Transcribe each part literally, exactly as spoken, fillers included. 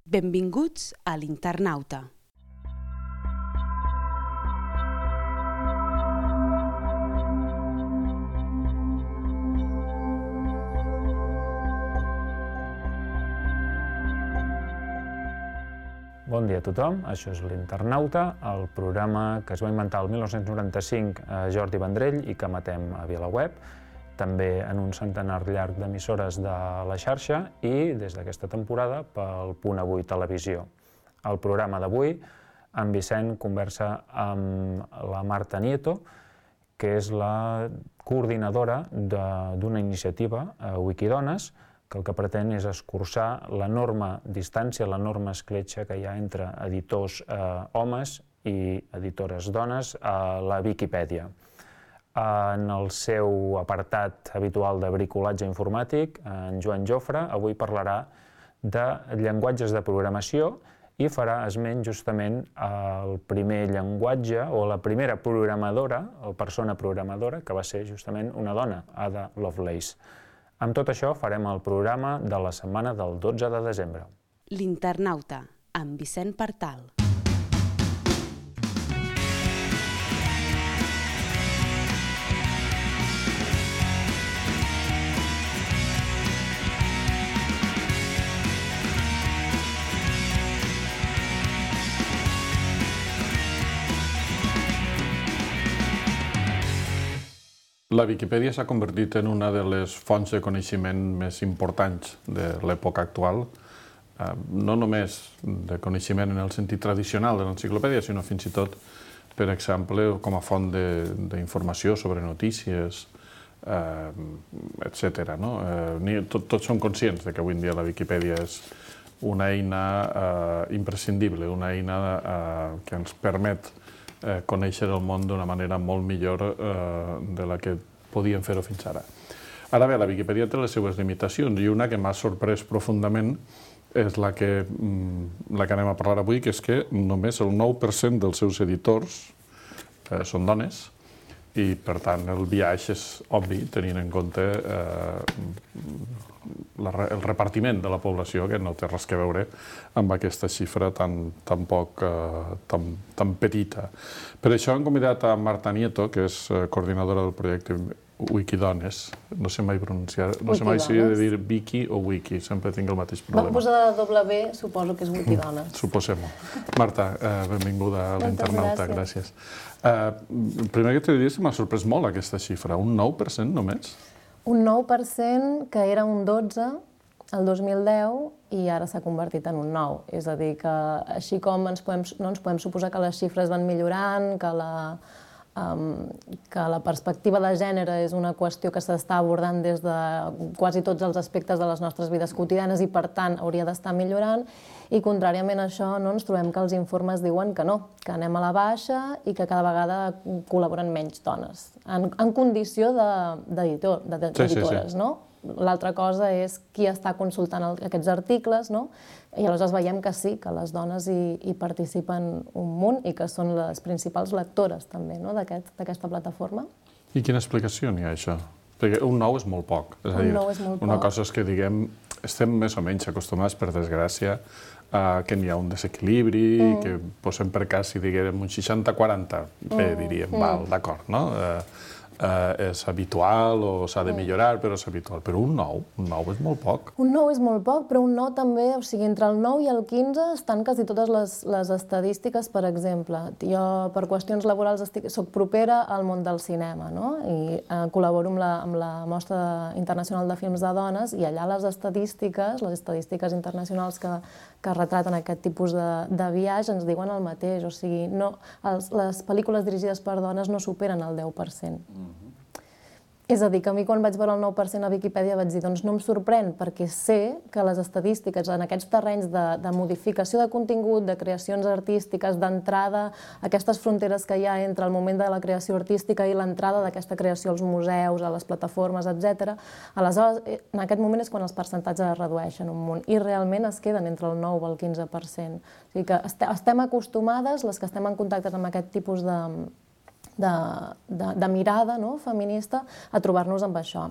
Benvinguts a l'Internauta. Bon dia a tothom, això és l'Internauta, el programa que es va inventar el mil nou-cents noranta-cinc a Jordi Vendrell i que emetem a VilaWeb, també en un centenar llarg d'emissores de la xarxa i des d'aquesta temporada pel Punt Avui Televisió. Al programa d'avui, en Vicent conversa amb la Marta Nieto, que és la coordinadora d'una iniciativa, Wikidones, que el que pretén és escurçar l'enorme distància, l'enorme escletxa que hi ha entre editors homes i editores dones a la Viquipèdia. En el seu apartat habitual de bricolatge informàtic, en Joan Jofre avui parlarà de llenguatges de programació i farà esment justament al primer llenguatge o la primera programadora o persona programadora que va ser justament una dona, Ada Lovelace. Amb tot això farem el programa de la setmana del dotze de desembre. L'Internauta, amb Vicent Partal. La Viquipèdia s'ha convertit en una de les fonts de coneixement més importants de l'època actual, no només de coneixement en el sentit tradicional de l'enciclopèdia, sinó fins i tot, per exemple, com a font d'informació sobre notícies, etcètera. Tots som conscients que avui en dia la Viquipèdia és una eina imprescindible, una eina que ens permet conèixer el món d'una manera molt millor de la que podíem fer-ho fins ara. Ara bé, la Viquipèdia té les seues limitacions i una que m'ha sorprès profundament és la que anem a parlar avui, que és que només el nou per cent dels seus editors són dones i, per tant, el biaix és obvi, tenint en compte el repartiment de la població, que no té res a veure amb aquesta xifra tan petita. Per això hem convidat a Marta Nieto, que és coordinadora del projecte Wikidones. No sé mai pronunciar, no sé mai si he de dir Wiki o Wiki, sempre tinc el mateix problema. Vam posar la W, suposo que és Wikidones. Suposem-ho. Marta, benvinguda a l'Internauta, gràcies. Primer que t'he de dir que m'ha sorprès molt aquesta xifra, un nou per cent només? Un nou per cent que era un dotze el dos mil deu i ara s'ha convertit en un nou. És a dir, que així com no ens podem suposar que les xifres van millorant, que la que la perspectiva de gènere és una qüestió que s'està abordant des de quasi tots els aspectes de les nostres vides quotidianes i, per tant, hauria d'estar millorant. I, contràriament a això, ens trobem que els informes diuen que no, que anem a la baixa i que cada vegada col·laboren menys dones, en condició d'editores, no? L'altra cosa és qui està consultant aquests articles, no? I aleshores veiem que sí, que les dones hi participen un munt i que són les principals lectores també d'aquesta plataforma. I quina explicació n'hi ha, això? Perquè un nou és molt poc. Un nou és molt poc. Una cosa és que, diguem, estem més o menys acostumats, per desgràcia, que n'hi ha un desequilibri, que posem per cas, si diguem un seixanta quaranta, bé, diríem, val, d'acord, no? És habitual o s'ha de millorar, però és habitual. Però un nou, un nou és molt poc. Un nou és molt poc, però un nou també, o sigui, entre el nou i el quinze estan quasi totes les estadístiques, per exemple. Jo, per qüestions laborals, soc propera al món del cinema, no? I col·laboro amb la Mostra Internacional de Films de Dones i allà les estadístiques, les estadístiques internacionals que retraten aquest tipus de biaix ens diuen el mateix. O sigui, les pel·lícules dirigides per dones no superen el deu per cent. És a dir, que a mi quan vaig veure el nou per cent a Viquipèdia vaig dir, doncs no em sorprèn, perquè sé que les estadístiques en aquests terrenys de modificació de contingut, de creacions artístiques, d'entrada, aquestes fronteres que hi ha entre el moment de la creació artística i l'entrada d'aquesta creació als museus, a les plataformes, etcètera, aleshores, en aquest moment és quan els percentatges es redueixen un munt i realment es queden entre el nou i el quinze per cent. O sigui que estem acostumades, les que estem en contacte amb aquest tipus de de mirada feminista, a trobar-nos amb això.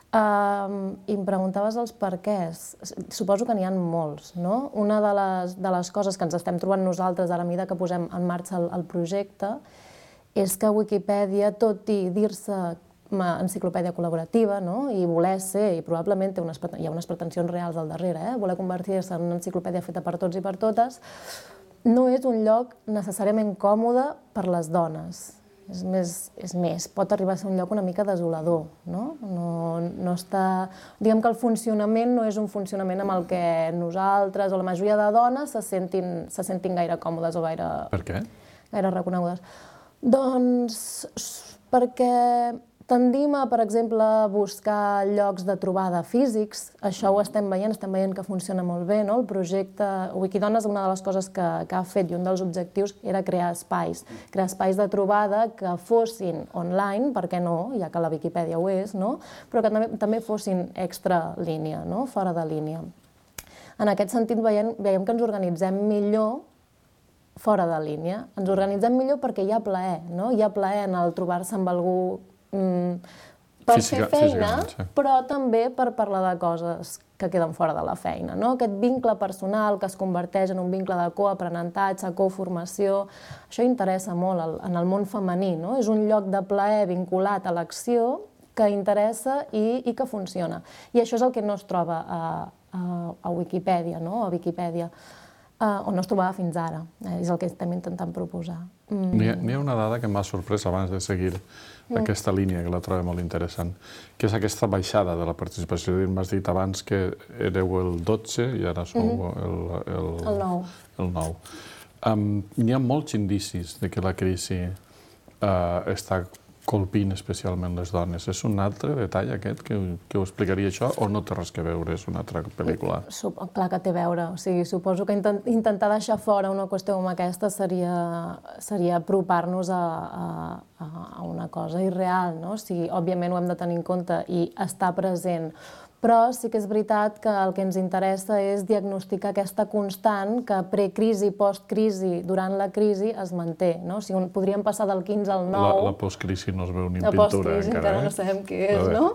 Uh, I em preguntaves els perquès. Suposo que n'hi ha molts, no? Una de les, de les coses que ens estem trobant nosaltres a la mida que posem en marxa el, el projecte és que Wikipedia, tot i dir-se enciclopèdia col·laborativa, no? I voler ser, i probablement té unes, hi ha unes pretensions reals al darrere, eh? Voler convertir-se en una enciclopèdia feta per tots i per totes, no és un lloc necessàriament còmode per les dones. És més, és més, pot arribar a ser un lloc una mica desolador, no? No, no està... Diguem que el funcionament no és un funcionament amb el que nosaltres o la majoria de dones se sentin, se sentin gaire còmodes o gaire... Per què? Gaire reconegudes. Doncs perquè tendim a, per exemple, buscar llocs de trobada físics. Això ho estem veient, estem veient que funciona molt bé, no? El projecte Wikidones, una de les coses que, que ha fet i un dels objectius era crear espais. Crear espais de trobada que fossin online, per què no, ja que la Viquipèdia ho és, no? Però que també, també fossin extra línia, no? Fora de línia. En aquest sentit veiem, veiem que ens organitzem millor fora de línia. Ens organitzem millor perquè hi ha plaer, no? Hi ha plaer en el trobar-se amb algú Mm, per Física, fer feina, sí. però també per parlar de coses que queden fora de la feina, no? Aquest vincle personal que es converteix en un vincle de coaprenentatge, coformació, això interessa molt en el món femení, no? És un lloc de plaer vinculat a l'acció que interessa i, i que funciona. I això és el que no es troba a, a, a Wikipedia, no? A Viquipèdia. Uh, on no es trobava fins ara. Eh, és el que estem intentant proposar. Mm. N'hi ha, ha una dada que m'ha sorprès abans de seguir mm. aquesta línia, que la trobo molt interessant, que és aquesta baixada de la participació. M'has dit abans que éreu el dotze i ara sou mm-hmm. el, el, el nou. El nou. Um, n'hi ha molts indicis de que la crisi uh, està colpint especialment les dones. És un altre detall aquest que, que ho explicaria això o no té res que veure, és una altra pel·lícula? Sup Clar que té a veure. O sigui, suposo que intent intentar deixar fora una qüestió com aquesta seria, seria apropar-nos a, a, a una cosa irreal, no? O sigui, òbviament ho hem de tenir en compte i estar present. Però sí que és veritat que el que ens interessa és diagnosticar aquesta constant que precrisi, postcrisi, durant la crisi es manté, no? O sigui, podríem passar del quinze al nou... La, la postcrisi no es veu ni en la pintura, encara, encara, eh? No sabem què és, no?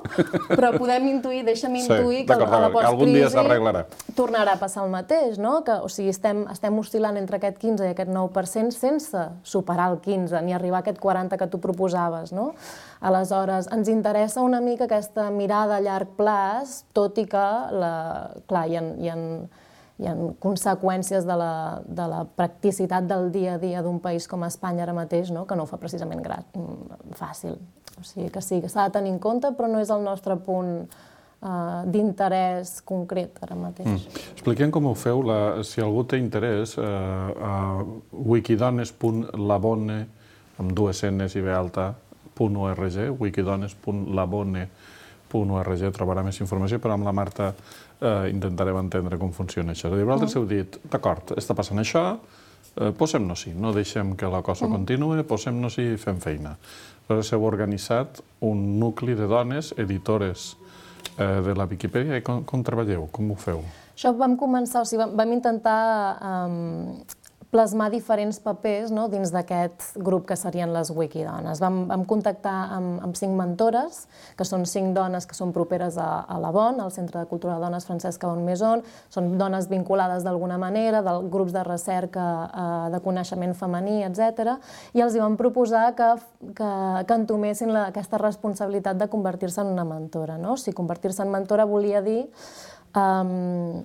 Però podem intuir, deixa'm intuir sí, que a la algun dia s'arreglarà. Tornarà a passar el mateix, no? Que, o sigui, estem, estem oscil·lant entre aquest quinze i aquest nou per cent sense superar el quinze, ni arribar a aquest quaranta que tu proposaves, no? Aleshores, ens interessa una mica aquesta mirada a llarg plaç, tot i que, la, clar, hi ha, hi ha, hi ha conseqüències de la, de la practicitat del dia a dia d'un país com Espanya ara mateix, no? Que no ho fa precisament grat, fàcil. O sigui que sí, que s'ha de tenir en compte, però no és el nostre punt uh, d'interès concret ara mateix. Mm. Expliquem com ho feu, la, si algú té interès, uh, a wikidones punt labone, amb dues N's i B alta, .org, wikidones punt labone punt org, trobarà més informació, però amb la Marta eh, intentarem entendre com funciona això. Vosaltres heu dit, d'acord, està passant això, eh, posem-nos-hi, no deixem que la cosa continuï, posem-nos-hi i fem feina. Aleshores heu organitzat un nucli de dones, editores eh, de la Viquipèdia, i com, com treballeu, com ho feu? Això vam començar, o sigui, vam, vam intentar um, plasmar diferents papers, no?, dins d'aquest grup que serien les Wikidones. Vam, vam contactar amb, amb cinc mentores, que són cinc dones que són properes a, a la Bonn, al Centre de Cultura de Dones Francesca Bonn Maison. Són dones vinculades d'alguna manera, dels grups de recerca eh, de coneixement femení, etcètera. I els hi vam proposar que, que, que entomessin la, aquesta responsabilitat de convertir-se en una mentora, no? O sigui, convertir-se en mentora volia dir Um,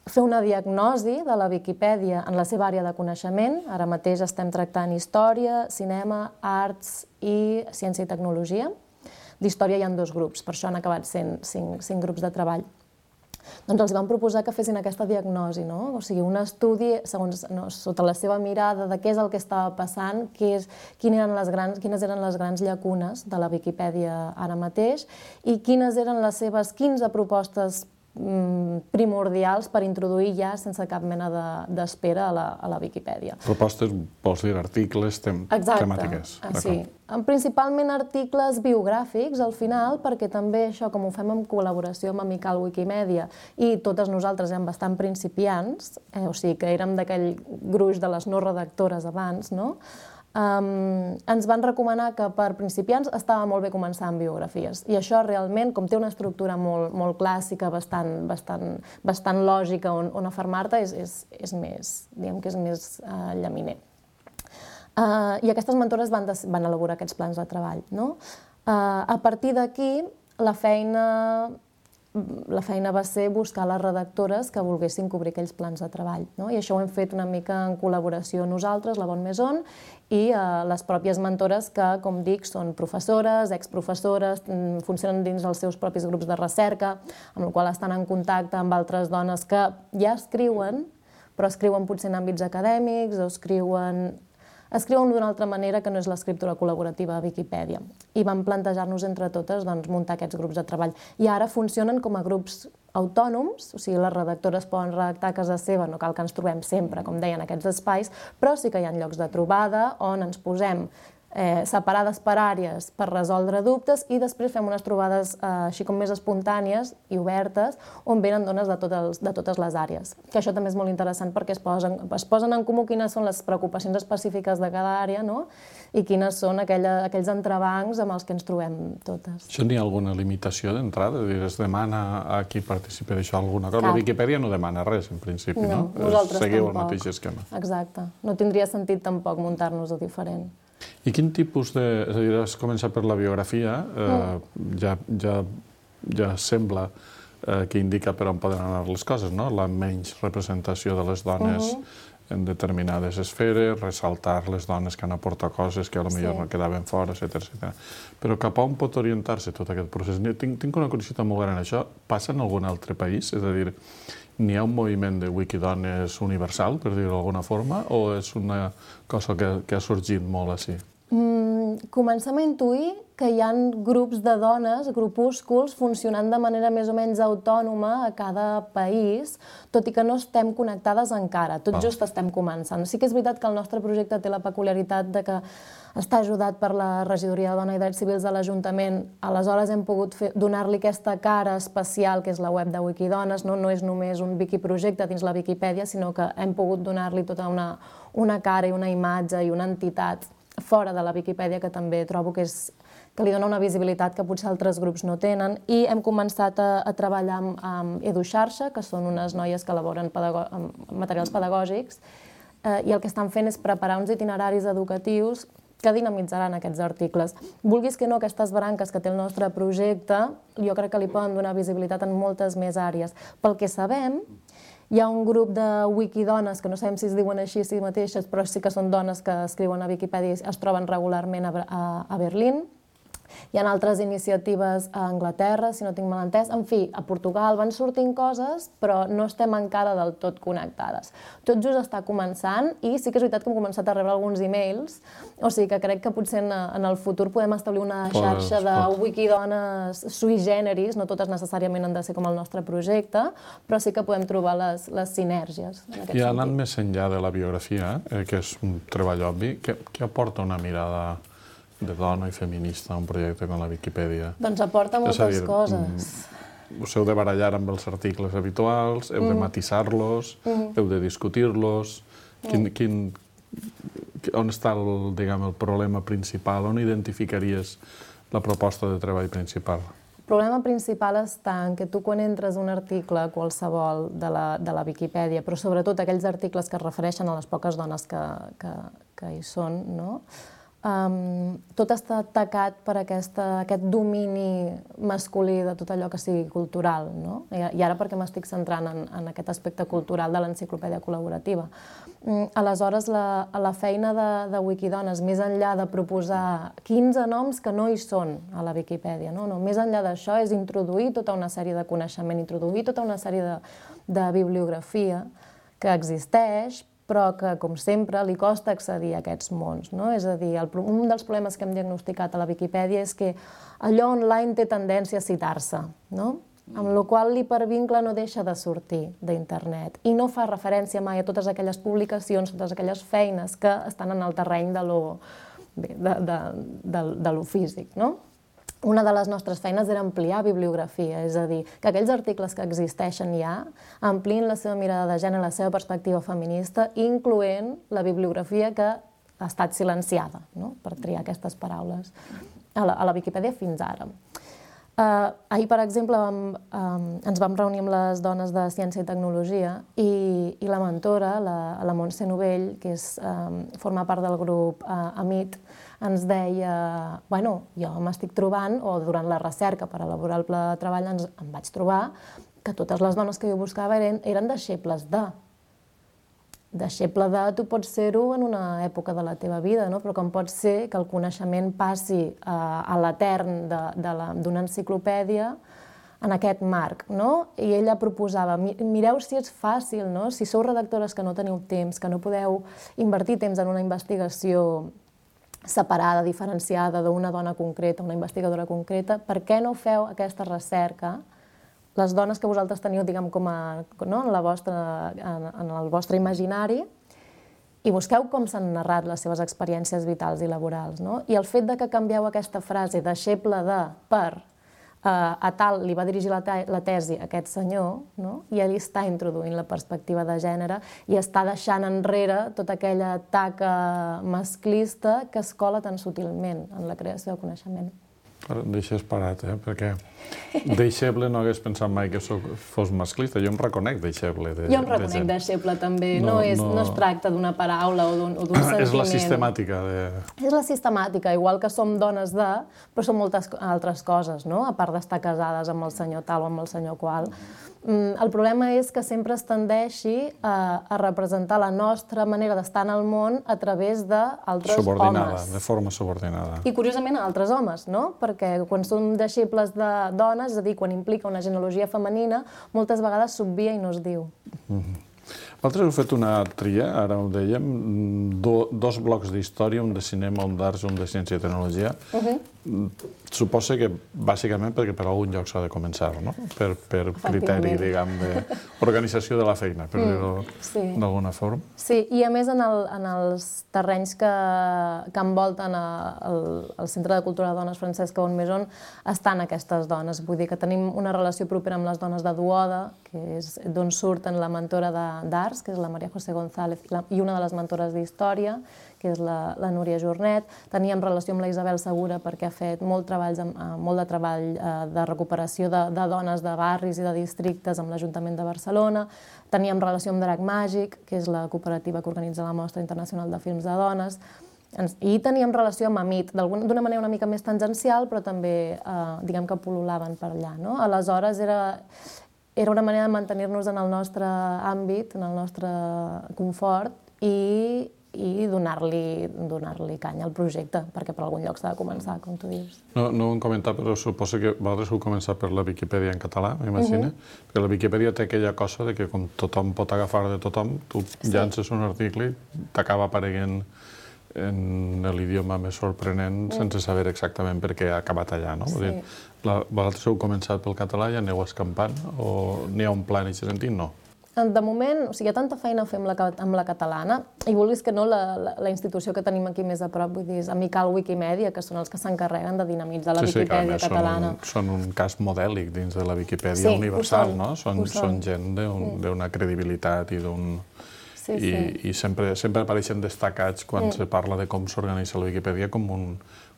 fer una diagnosi de la Viquipèdia en la seva àrea de coneixement. Ara mateix estem tractant història, cinema, arts i ciència i tecnologia. D'història hi ha dos grups, per això han acabat sent cinc, cinc grups de treball. Doncs els vam proposar que fessin aquesta diagnosi, no? O sigui, un estudi segons, no, sota la seva mirada de què és el que estava passant, què és, quines eren les grans, quines eren les grans llacunes de la Viquipèdia ara mateix i quines eren les seves quinze propostes primordials per introduir ja sense cap mena d'espera a, la, a la Viquipèdia. Propostes, vols dir articles, tem Exacte. temàtiques. Sí. Principalment articles biogràfics, al final, perquè també això, com ho fem en col·laboració amb Amical Wikimedia i totes nosaltres érem bastant principiants, eh, o sigui que érem d'aquell gruix de les no redactores abans, no? Um, ens van recomanar que per principiants estava molt bé començar amb biografies. I això realment, com té una estructura molt, molt clàssica, bastant, bastant, bastant lògica on, on afermar-te, és, és, és més, diguem que és més uh, llaminer. Uh, I aquestes mentores van, des, van elaborar aquests plans de treball, no? Uh, a partir d'aquí, la feina... la feina va ser buscar les redactores que volguessin cobrir aquells plans de treball, no? I això ho hem fet una mica en col·laboració nosaltres, la Bonne Maison, i eh, les pròpies mentores que, com dic, són professores, exprofessores, funcionen dins dels seus propis grups de recerca, amb la qual estan en contacte amb altres dones que ja escriuen, però escriuen potser en àmbits acadèmics o escriuen... escriuen d'una altra manera que no és l'escriptura col·laborativa a Viquipèdia. I vam plantejar-nos entre totes doncs, muntar aquests grups de treball. I ara funcionen com a grups autònoms, o sigui, les redactores poden redactar a casa seva, no cal que ens trobem sempre, com deien, aquests espais, però sí que hi ha llocs de trobada on ens posem eh, separades per àrees per resoldre dubtes i després fem unes trobades eh, així com més espontànies i obertes on venen dones de, tot els, de totes les àrees. Que això també és molt interessant perquè es posen, es posen en comú quines són les preocupacions específiques de cada àrea, no? I quines són aquella, aquells entrebancs amb els que ens trobem totes. Això n'hi ha alguna limitació d'entrada? Es demana a qui participi d'això alguna cosa? Cap. La Viquipèdia no demana res, en principi, no? No, nosaltres Seguiu tampoc. el mateix esquema. Exacte. No tindria sentit tampoc muntar-nos-ho diferent. I quin tipus de... És a dir, has començat per la biografia, eh, ja, ja, ja sembla eh, que indica per on poden anar les coses, no? La menys representació de les dones uh -huh. en determinades esferes, ressaltar les dones que han aportat coses que potser sí. no quedaven fora, etcètera, etcètera. Però cap a on pot orientar-se tot aquest procés? Tinc, tinc una curiositat molt gran. Això passa en algun altre país? És a dir, n'hi ha un moviment de wikidones universal, per dir-ho d'alguna forma, o és una cosa que, que ha sorgit molt així? Mm, comencem a intuir que hi ha grups de dones, grupúsculs, funcionant de manera més o menys autònoma a cada país, tot i que no estem connectades encara, tot oh. just estem començant. Sí que és veritat que el nostre projecte té la peculiaritat de que està ajudat per la Regidoria de Dona i Drets Civils de l'Ajuntament, aleshores hem pogut donar-li aquesta cara especial, que és la web de Wikidones, no, no és només un wikiprojecte dins la Viquipèdia, sinó que hem pogut donar-li tota una, una cara i una imatge i una entitat fora de la Viquipèdia, que també trobo que, és, que li dona una visibilitat que potser altres grups no tenen. I hem començat a, a treballar amb, amb EduXarxa, que són unes noies que elaboren pedago materials pedagògics, eh, i el que estan fent és preparar uns itineraris educatius que dinamitzaran aquests articles. Vulguis que no, aquestes branques que té el nostre projecte, jo crec que li poden donar visibilitat en moltes més àrees. Pel que sabem, hi ha un grup de wikidones, que no sabem si es diuen així si mateixes, però sí que són dones que escriuen a Viquipèdia i es troben regularment a, a, a Berlín. Hi ha altres iniciatives a Anglaterra, si no tinc mal entès. En fi, a Portugal van sortint coses, però no estem encara del tot connectades. Tot just està començant i sí que és veritat que hem començat a rebre alguns e-mails, o sigui que crec que potser en, en el futur podem establir una xarxa de wikidones sui generis, no totes necessàriament han de ser com el nostre projecte, però sí que podem trobar les, les sinèrgies. I anant més enllà de la biografia, eh, que és un treball obvi, què, què aporta una mirada de dona i feminista a un projecte com la Viquipèdia? Doncs aporta moltes dir, coses. Us heu de barallar amb els articles habituals, heu mm. de matisar-los, mm. heu de discutir-los. Quin, quin, on està el, diguem, el problema principal? On identificaries la proposta de treball principal? El problema principal està en que tu quan entres un article qualsevol de la, de la Viquipèdia, però sobretot aquells articles que es refereixen a les poques dones que, que, que hi són, no? Um, tot està atacat per aquesta, aquest domini masculí de tot allò que sigui cultural, no? I, i ara perquè m'estic centrant en, en aquest aspecte cultural de l'enciclopèdia col·laborativa. Um, aleshores, la, la feina de, de Wikidones, més enllà de proposar quinze noms que no hi són a la Viquipèdia, no? No, més enllà d'això és introduir tota una sèrie de coneixement, introduir tota una sèrie de, de bibliografia que existeix, però que, com sempre, li costa accedir a aquests mons, no? És a dir, el, un dels problemes que hem diagnosticat a la Viquipèdia és que allò online té tendència a citar-se, no? Amb la qual l'hipervincle no deixa de sortir d'internet i no fa referència mai a totes aquelles publicacions, totes aquelles feines que estan en el terreny de lo, bé, de, de, de, de lo físic, no? Una de les nostres feines era ampliar bibliografia, és a dir, que aquells articles que existeixen ja ampliïn la seva mirada de gènere, la seva perspectiva feminista, incloent la bibliografia que ha estat silenciada, no? Per triar aquestes paraules, a la, a la Viquipèdia fins ara. Uh, ahir, per exemple, vam, um, ens vam reunir amb les dones de Ciència i Tecnologia i, i la mentora, la, la Montse Novell, que és, um, forma part del grup uh, AMIT, ens deia, bueno, jo m'estic trobant, o durant la recerca per elaborar el pla de treball ens, em vaig trobar que totes les dones que jo buscava eren, eren deixebles de. Deixeble de, tu pots ser-ho en una època de la teva vida, no? Però com pot ser que el coneixement passi uh, a l'etern d'una enciclopèdia en aquest marc, no? I ella proposava, mireu si és fàcil, no? Si sou redactores que no teniu temps, que no podeu invertir temps en una investigació separada, diferenciada d'una dona concreta, una investigadora concreta, per què no feu aquesta recerca, les dones que vosaltres teniu, diguem, com a, no? en, la vostra, en, en el vostre imaginari, i busqueu com s'han narrat les seves experiències vitals i laborals, no? I el fet de que canvieu aquesta frase deixeble de per Uh, a tal li va dirigir la, te la tesi a aquest senyor, no? I ell està introduint la perspectiva de gènere i està deixant enrere tota aquella taca masclista que es cola tan sutilment en la creació de coneixement. Deixes parat, eh? Perquè deixeble no hagués pensat mai que soc, fos masclista. Jo em reconec deixeble. De, jo em reconec de deixeble també. No, no, és, no... no es tracta d'una paraula o d'un sentiment. És la sistemàtica. De... És la sistemàtica, igual que som dones de, però som moltes altres coses, no? A part d'estar casades amb el senyor tal o amb el senyor qual. El problema és que sempre es tendeixi a, a representar la nostra manera d'estar en el món a través d'altres homes. Subordinada, de forma subordinada. I curiosament a altres homes, no? Perquè quan som deixebles de dones, és a dir, quan implica una genealogia femenina, moltes vegades s'obvia i no es diu. Mm-hmm. Vosaltres heu fet una tria, ara ho dèiem, do, dos blocs d'història, un de cinema, un d'arts, un de ciència i tecnologia. Uh-huh. Suposo que, bàsicament, perquè per algun lloc s'ha de començar, no? Per, per criteri, diguem, d'organització de la feina, per dir-ho mm, sí. d'alguna forma. Sí, i a més en, el, en els terrenys que, que envolten a, el, el Centre de Cultura de Dones Francesc Cauon Maison estan aquestes dones. Vull dir que tenim una relació propera amb les dones de Duoda, que és d'on surten la mentora d'arts, que és la Maria José González, la, i una de les mentores d'història, que és la, la Núria Jornet. Teníem relació amb la Isabel Segura perquè ha fet molt, treballs, molt de treball de recuperació de, de dones de barris i de districtes amb l'Ajuntament de Barcelona. Teníem relació amb Drac Màgic, que és la cooperativa que organitza la Mostra Internacional de Films de Dones. I teníem relació amb AMIT, d'una manera una mica més tangencial, però també, eh, diguem que pol·lulaven per allà, no? Aleshores, era... Era una manera de mantenir-nos en el nostre àmbit, en el nostre confort i, i donar-li donar-li canya al projecte, perquè per algun lloc s'ha de començar, com tu dius. No, no ho hem comentat, però suposo que vosaltres heu començat per la Viquipèdia en català, m'imagino. Uh-huh. Perquè la Viquipèdia té aquella cosa de que com tothom pot agafar de tothom, tu sí. llances un article i t'acaba apareguent en l'idioma més sorprenent mm. sense saber exactament per què ha acabat allà, no? Sí. Vull dir, la, vosaltres heu començat pel català i aneu escampant o n'hi ha un pla en aquest sentit? No. De moment, o sigui, hi ha tanta feina a fer amb la, amb la catalana i vulguis que no, la, la, la institució que tenim aquí més a prop, vull dir, és Amical Wikimedia, que són els que s'encarreguen de dinamitzar la sí, Viquipèdia sí, catalana. Són un, són un cas modèlic dins de la Viquipèdia sí, universal, són, no? Són, són gent d'una mm. credibilitat i d'un... Sí, I, sí. i sempre, sempre apareixen destacats quan mm. se parla de com s'organitza la Viquipèdia com un,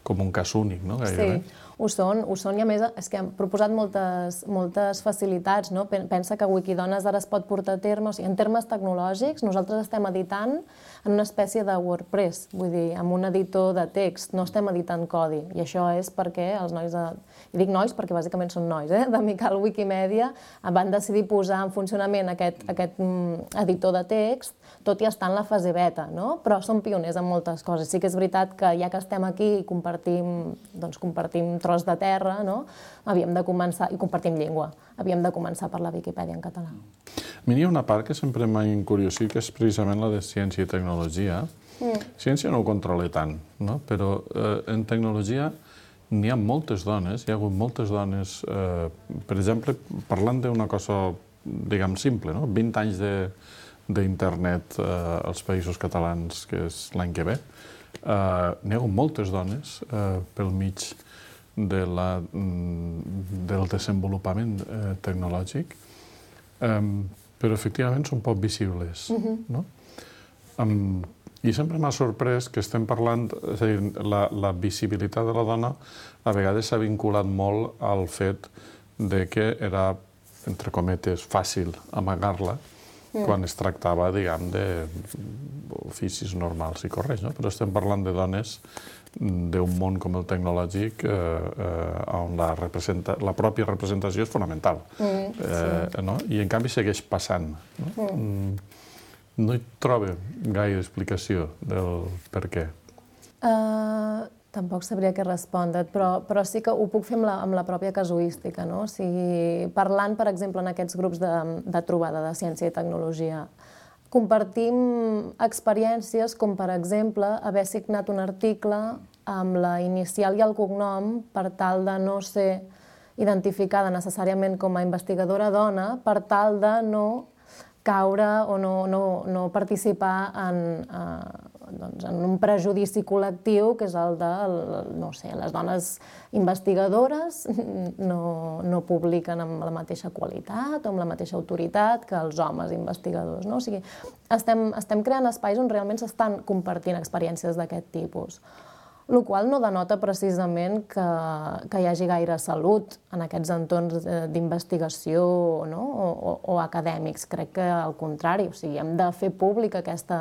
com un cas únic, no? Gairebé. Sí, ho són, ho són, i a més és que han proposat moltes, moltes facilitats, no? Pensa que Wikidones ara es pot portar a terme, o sigui, en termes tecnològics, nosaltres estem editant en una espècie de WordPress, vull dir, amb un editor de text, no estem editant codi, i això és perquè els nois de... I dic nois perquè bàsicament són nois, eh? d'Amical Wikimedia, van decidir posar en funcionament aquest, aquest editor de text, tot i estar en la fase beta, no? Però som pioners en moltes coses. Sí que és veritat que ja que estem aquí i compartim, doncs, compartim tros de terra, no? Havíem de començar, i compartim llengua, havíem de començar per la Viquipèdia en català. A mi hi ha una part que sempre m'ha incuriosit, que és precisament la de ciència i tecnologia. Mm. Ciència no ho controla tant, no? Però eh, en tecnologia n'hi ha moltes dones, hi ha hagut moltes dones, eh, per exemple, parlant d'una cosa, diguem, simple, no? vint anys d'internet eh, als països catalans, que és l'any que ve. Eh, n'hi ha hagut moltes dones eh, pel mig de la, del desenvolupament eh, tecnològic, eh, però efectivament són poc visibles, uh-huh. no? Um, I sempre m'ha sorprès que estem parlant, és a dir, la, la visibilitat de la dona a vegades s'ha vinculat molt al fet de que era, entre cometes, fàcil amagar-la mm. quan es tractava, diguem, d'oficis normals i correctes, no? Però estem parlant de dones d'un món com el tecnològic eh, eh, on la, representa, la pròpia representació és fonamental. Mm, sí. eh, no? I en canvi segueix passant. No, mm. no hi trobo gaire explicació del per què. Uh, tampoc sabria què respondre't, però, però sí que ho puc fer amb la, amb la pròpia casuística, no? O sigui, parlant, per exemple, en aquests grups de, de trobada de ciència i tecnologia, compartim experiències com, per exemple, haver signat un article amb la inicial i el cognom per tal de no ser identificada necessàriament com a investigadora dona, per tal de no caure o no, no, no participar en, eh, doncs, en un prejudici col·lectiu, que és el de, no sé, les dones investigadores no, no publiquen amb la mateixa qualitat o amb la mateixa autoritat que els homes investigadors, no? O sigui, estem, estem creant espais on realment s'estan compartint experiències d'aquest tipus. El qual no denota precisament que, que hi hagi gaire salut en aquests entorns d'investigació, no? o, o, o acadèmics. Crec que al contrari, o sigui, hem de fer pública aquesta,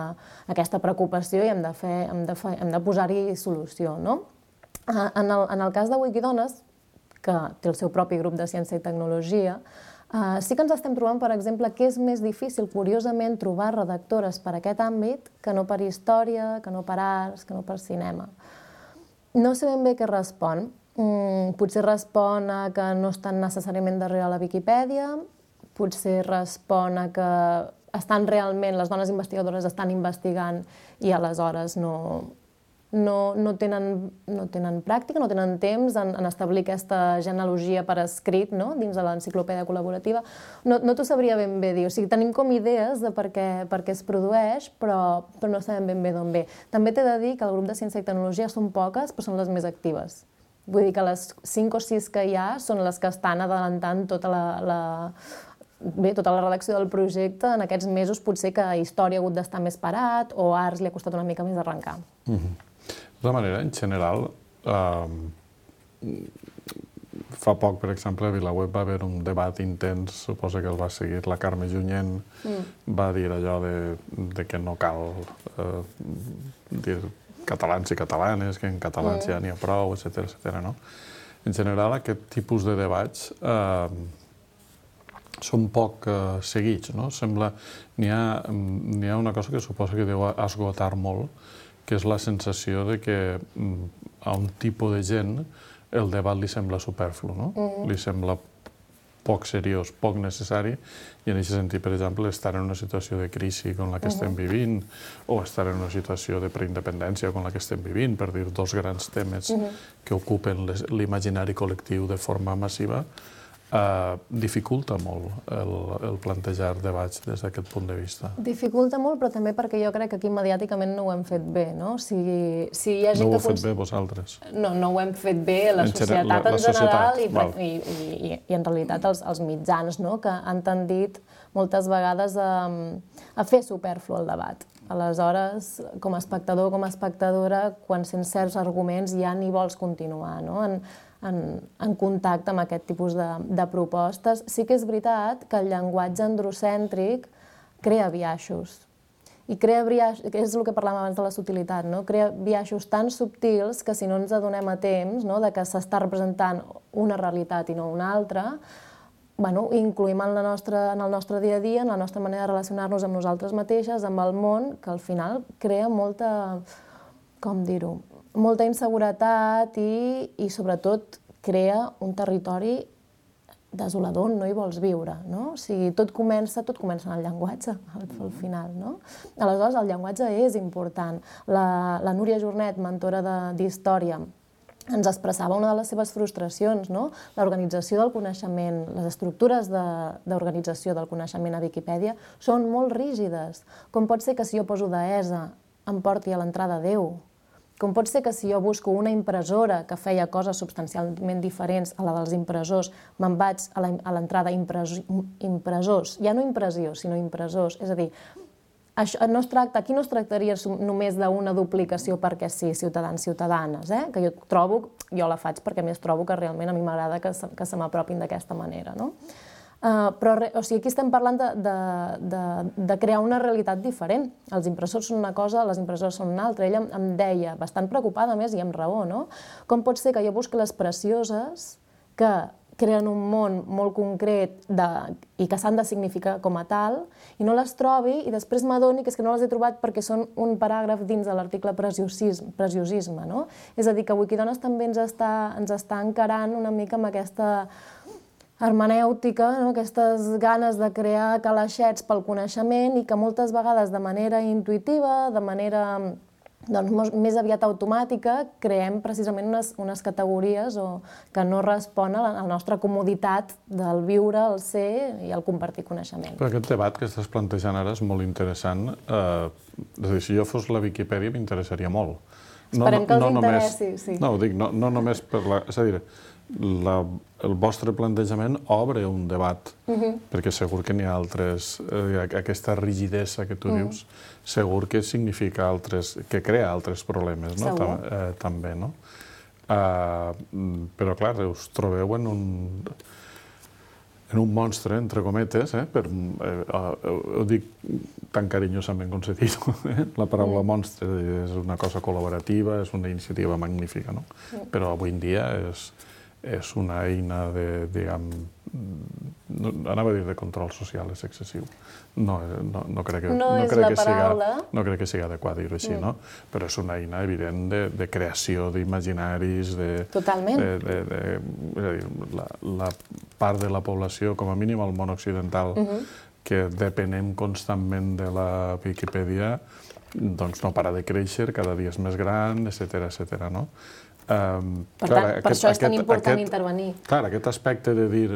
aquesta preocupació i hem de, fer, hem de, fer, hem de posar-hi solució. No? En, el, en el cas de Wikidones, que té el seu propi grup de ciència i tecnologia, eh, sí que ens estem trobant, per exemple, que és més difícil, curiosament, trobar redactores per aquest àmbit que no per història, que no per arts, que no per cinema. No sé ben bé què respon. Mm, potser respon a que no estan necessàriament darrere la Viquipèdia, potser respon a que estan realment, les dones investigadores estan investigant i aleshores no, no, no, tenen, no tenen pràctica, no tenen temps en, en establir aquesta genealogia per escrit, no? Dins de l'enciclopèdia col·laborativa. No, no t'ho sabria ben bé dir. O sigui, tenim com idees de per què, per què es produeix, però, però no sabem ben bé d'on ve. També t'he de dir que el grup de ciència i tecnologia són poques, però són les més actives. Vull dir que les cinc o sis que hi ha són les que estan adelantant tota la... la Bé, tota la redacció del projecte. En aquests mesos potser que Història ha hagut d'estar més parat o Arts li ha costat una mica més arrencar. Mm-hmm. De tota manera, en general, eh, fa poc, per exemple, a VilaWeb va haver un debat intens, suposa que el va seguir la Carme Junyent, mm. va dir allò de, de que no cal eh, dir catalans i catalanes, que en català mm. ja n'hi ha prou, etcètera, etcètera, no? En general, aquest tipus de debats eh, són poc eh, seguits, no? Sembla, n'hi ha, n'hi ha una cosa que suposa que deu esgotar molt, que és la sensació de que a un tipus de gent el debat li sembla superflu, no? Mm. Li sembla poc seriós, poc necessari, i en aquest sentit, per exemple, estar en una situació de crisi com la que estem vivint, o estar en una situació de preindependència com la que estem vivint, per dir dos grans temes que ocupen l'imaginari col·lectiu de forma massiva, Uh, dificulta molt el, el plantejar debats des d'aquest punt de vista. Dificulta molt, però també perquè jo crec que aquí mediàticament no ho hem fet bé, no? Si, si hi ha gent no ho heu fet bé vosaltres? No, no ho hem fet bé la en societat la, la en general societat, i, i, i, i en realitat els, els mitjans, no? Que han tendit moltes vegades a, a fer superflu el debat. Aleshores, com a espectador, com a espectadora, quan sents certs arguments ja ni vols continuar, no? En, En, en contacte amb aquest tipus de, de propostes. Sí que és veritat que el llenguatge androcèntric crea biaixos. I crea biaixos, que és el que parlàvem abans de la subtilitat, no? Crea biaixos tan subtils que si no ens adonem a temps, no? De que s'està representant una realitat i no una altra, bueno, incluïm en, la nostra, en el nostre dia a dia, en la nostra manera de relacionar-nos amb nosaltres mateixes, amb el món, que al final crea molta, com dir-ho, molta inseguretat i, i sobretot, crea un territori desolador on no hi vols viure, no? O sigui, tot comença, tot comença en el llenguatge, al, al final, no? Aleshores, el llenguatge és important. La, la Núria Jornet, mentora d'història, ens expressava una de les seves frustracions, no? L'organització del coneixement, les estructures d'organització de, del coneixement a Viquipèdia són molt rígides. Com pot ser que si jo poso deessa em porti a l'entrada Déu? Com pot ser que si jo busco una impressora que feia coses substancialment diferents a la dels impressors, me'n vaig a l'entrada impressors, ja no impressió, sinó impressors. És a dir, això no es tracta, aquí no es tractaria només d'una duplicació perquè sí, ciutadans, ciutadanes, eh? Que jo trobo, jo la faig perquè més trobo que realment a mi m'agrada que se, que se m'apropin d'aquesta manera, no? Uh, però o sigui, aquí estem parlant de, de, de, de crear una realitat diferent. Els impressors són una cosa, les impressores són una altra. Ella em, em deia, bastant preocupada més i amb raó, no? Com pot ser que jo busqui les precioses que creen un món molt concret de, i que s'han de significar com a tal, i no les trobi, i després m'adoni que és que no les he trobat perquè són un paràgraf dins de l'article preciosisme, preciosisme, no? És a dir, que Wikidones també ens està, ens està encarant una mica amb aquesta hermenèutica, no? Aquestes ganes de crear calaixets pel coneixement i que moltes vegades de manera intuïtiva, de manera doncs, més aviat automàtica, creem precisament unes, unes categories o, que no responen a la nostra comoditat del viure, el ser i el compartir coneixement. Però aquest debat que estàs plantejant ara és molt interessant. Eh, és a dir, si jo fos la Viquipèdia m'interessaria molt. No, Esperem que els no interessi, només, sí. No, ho dic, no, no només per la... És a dir, la, el vostre plantejament obre un debat, uh-huh. perquè segur que n'hi ha altres... Eh, aquesta rigidesa que tu uh-huh. dius, segur que significa altres... que crea altres problemes, no? Segur. Tam, eh, també, no? Uh, però, clar, us trobeu en un... en un monstre, entre cometes, eh? Per, eh, eh, ho dic tan carinyosament com s'ha dit, eh? La paraula mm. monstre és una cosa col·laborativa, és una iniciativa magnífica, no? Mm. Però avui en dia és, és una eina de, diguem, no, anava a dir de control social, és excessiu. No, no, no crec que, no no és crec la que paraula. Siga, no crec que sigui adequat dir-ho així, mm. no? Però és una eina evident de, de creació d'imaginaris, de... Totalment. De, de, de, és a dir, la, la part de la població, com a mínim al món occidental, uh-huh. que depenem constantment de la Viquipèdia, doncs no para de créixer, cada dia és més gran, etcètera, etcètera, no? Um, per clar, tant, aquest, per això és tan aquest, important aquest, intervenir. Clar, aquest aspecte de dir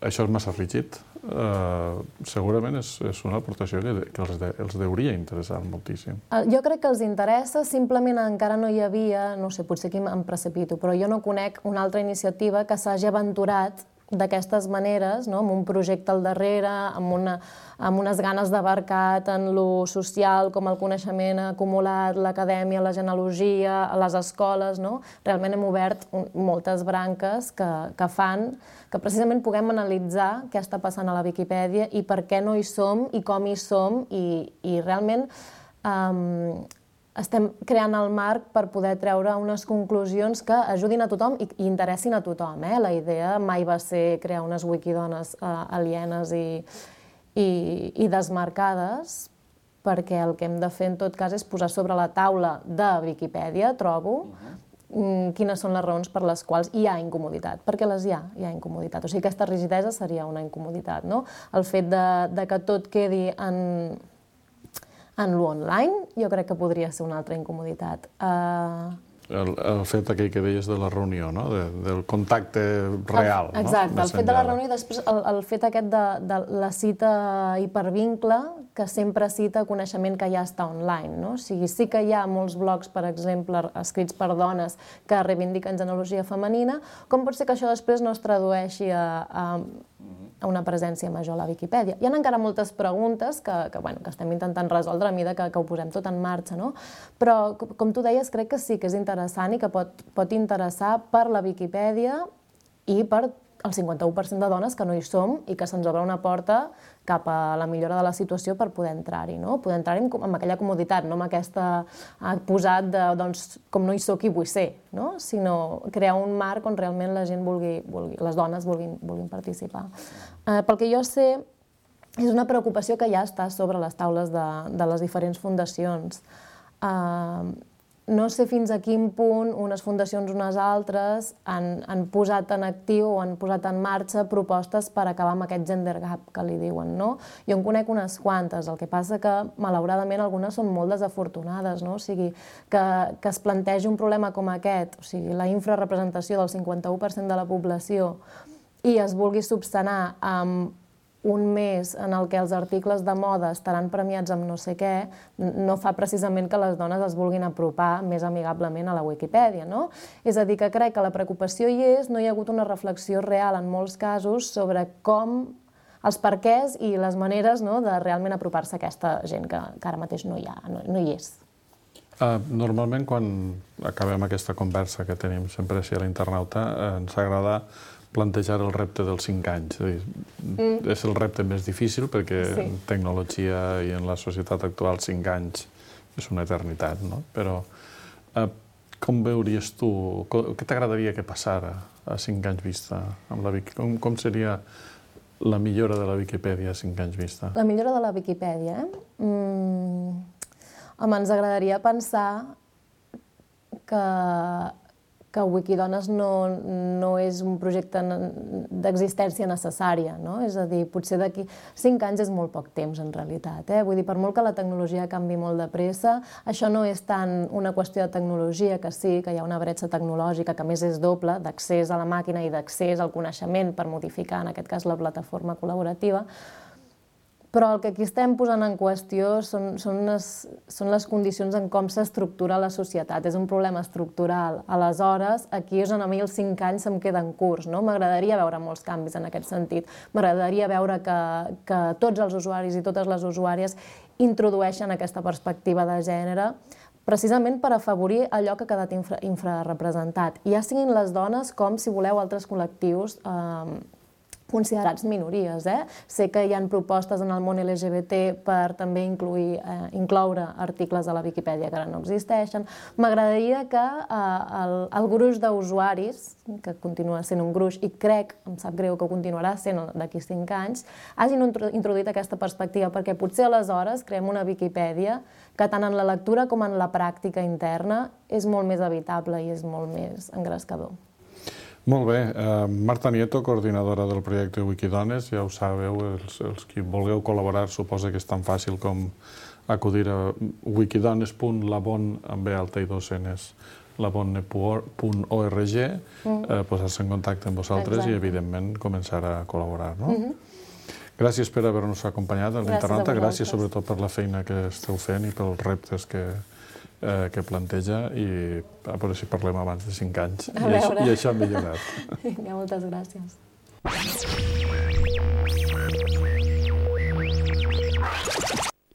això és massa rígid, uh, segurament és, és una aportació que, que els, de, els deuria interessar moltíssim. Jo crec que els interessa, simplement encara no hi havia, no sé, potser aquí em precipito, però jo no conec una altra iniciativa que s'hagi aventurat d'aquestes maneres, no? Amb un projecte al darrere, amb, una, amb unes ganes d'abarcar tant lo social com el coneixement acumulat, l'acadèmia, la genealogia, les escoles, no? Realment hem obert un, moltes branques que, que fan que precisament puguem analitzar què està passant a la Viquipèdia i per què no hi som i com hi som i, i realment um, estem creant el marc per poder treure unes conclusions que ajudin a tothom i, i interessin a tothom. Eh? La idea mai va ser crear unes wikidones uh, alienes i, i, i desmarcades, perquè el que hem de fer en tot cas és posar sobre la taula de Viquipèdia, trobo, uh-huh. quines són les raons per les quals hi ha incomoditat, perquè les hi ha, hi ha incomoditat. O sigui, aquesta rigidesa seria una incomoditat, no? El fet de, de que tot quedi en... en l'online, jo crec que podria ser una altra incomoditat. Uh... El, el fet aquell que deies de la reunió, no? De, del contacte real. El, exacte, no? el fet de la reunió i després el, el fet aquest de, de la cita hipervincle, que sempre cita coneixement que ja està online. No? O sigui, sí que hi ha molts blogs, per exemple, escrits per dones que reivindiquen genealogia femenina, com pot ser que això després no es tradueixi a... a a una presència major a la Viquipèdia. Hi ha encara moltes preguntes que, que, bueno, que estem intentant resoldre a mesura que, que ho posem tot en marxa, no? Però, com tu deies, crec que sí que és interessant i que pot, pot interessar per la Viquipèdia i per el cinquanta-u per cent de dones que no hi som i que se'ns obre una porta cap a la millora de la situació per poder entrar-hi, no? Poder entrar-hi amb, amb aquella comoditat, no amb aquesta posat de, doncs, com no hi soc i vull ser, no? Sinó crear un marc on realment la gent vulgui, vulgui les dones vulguin, vulguin participar. Eh, pel que jo sé, és una preocupació que ja està sobre les taules de, de les diferents fundacions. Eh, No sé fins a quin punt unes fundacions o unes altres han, han posat en actiu o han posat en marxa propostes per acabar amb aquest gender gap que li diuen, no? Jo en conec unes quantes, el que passa que, malauradament, algunes són molt desafortunades, no? O sigui, que, que es plantegi un problema com aquest, o sigui, la infrarrepresentació del cinquanta-u per cent de la població i es vulgui subsanar amb un mes en el que els articles de moda estaran premiats amb no sé què, no fa precisament que les dones es vulguin apropar més amigablement a la Viquipèdia, no? És a dir, que crec que la preocupació hi és, no hi ha hagut una reflexió real en molts casos sobre com els perquès i les maneres de realment apropar-se a aquesta gent que ara mateix no hi és. Normalment, quan acabem aquesta conversa que tenim sempre així a l'internauta, ens agrada plantejar el repte dels cinc anys. És el repte més difícil perquè en tecnologia i en la societat actual cinc anys és una eternitat, no? Però com veuries tu, què t'agradaria que passara a cinc anys vista amb la Viquipèdia? Com seria la millora de la Viquipèdia a cinc anys vista? La millora de la Viquipèdia, eh? Home, ens agradaria pensar que que Wikidones no és un projecte d'existència necessària, no? És a dir, potser d'aquí cinc anys és molt poc temps, en realitat. Vull dir, per molt que la tecnologia canvi molt de pressa, això no és tant una qüestió de tecnologia, que sí, que hi ha una bretxa tecnològica, que a més és doble, d'accés a la màquina i d'accés al coneixement per modificar, en aquest cas, la plataforma col·laborativa, però el que aquí estem posant en qüestió són les condicions en com s'estructura la societat. És un problema estructural. Aleshores, aquí és on a mi els cinc anys se'm queden curts. M'agradaria veure molts canvis en aquest sentit. M'agradaria veure que tots els usuaris i totes les usuàries introdueixen aquesta perspectiva de gènere precisament per afavorir allò que ha quedat infrarrepresentat. Ja siguin les dones com, si voleu, altres col·lectius considerats minories. Sé que hi ha propostes en el món L G B T per també incloure articles a la Viquipèdia que ara no existeixen. M'agradaria que el gruix d'usuaris, que continua sent un gruix, i crec, em sap greu que continuarà sent d'aquí cinc anys, hagin introduït aquesta perspectiva, perquè potser aleshores creem una Viquipèdia que tant en la lectura com en la pràctica interna és molt més habitable i és molt més engrescador. Molt bé. Marta Nieto, coordinadora del projecte Wikidones, ja ho sabeu, els qui vulgueu col·laborar, suposa que és tan fàcil com acudir a wikidones punt labon, amb B alta i dos enes, labonne punt org, posar-se en contacte amb vosaltres i, evidentment, començar a col·laborar. Gràcies per haver-nos acompanyat a l'internauta, gràcies sobretot per la feina que esteu fent i pels reptes que que planteja, i a veure si parlem abans de cinc anys. I això ha millorat. Moltes gràcies.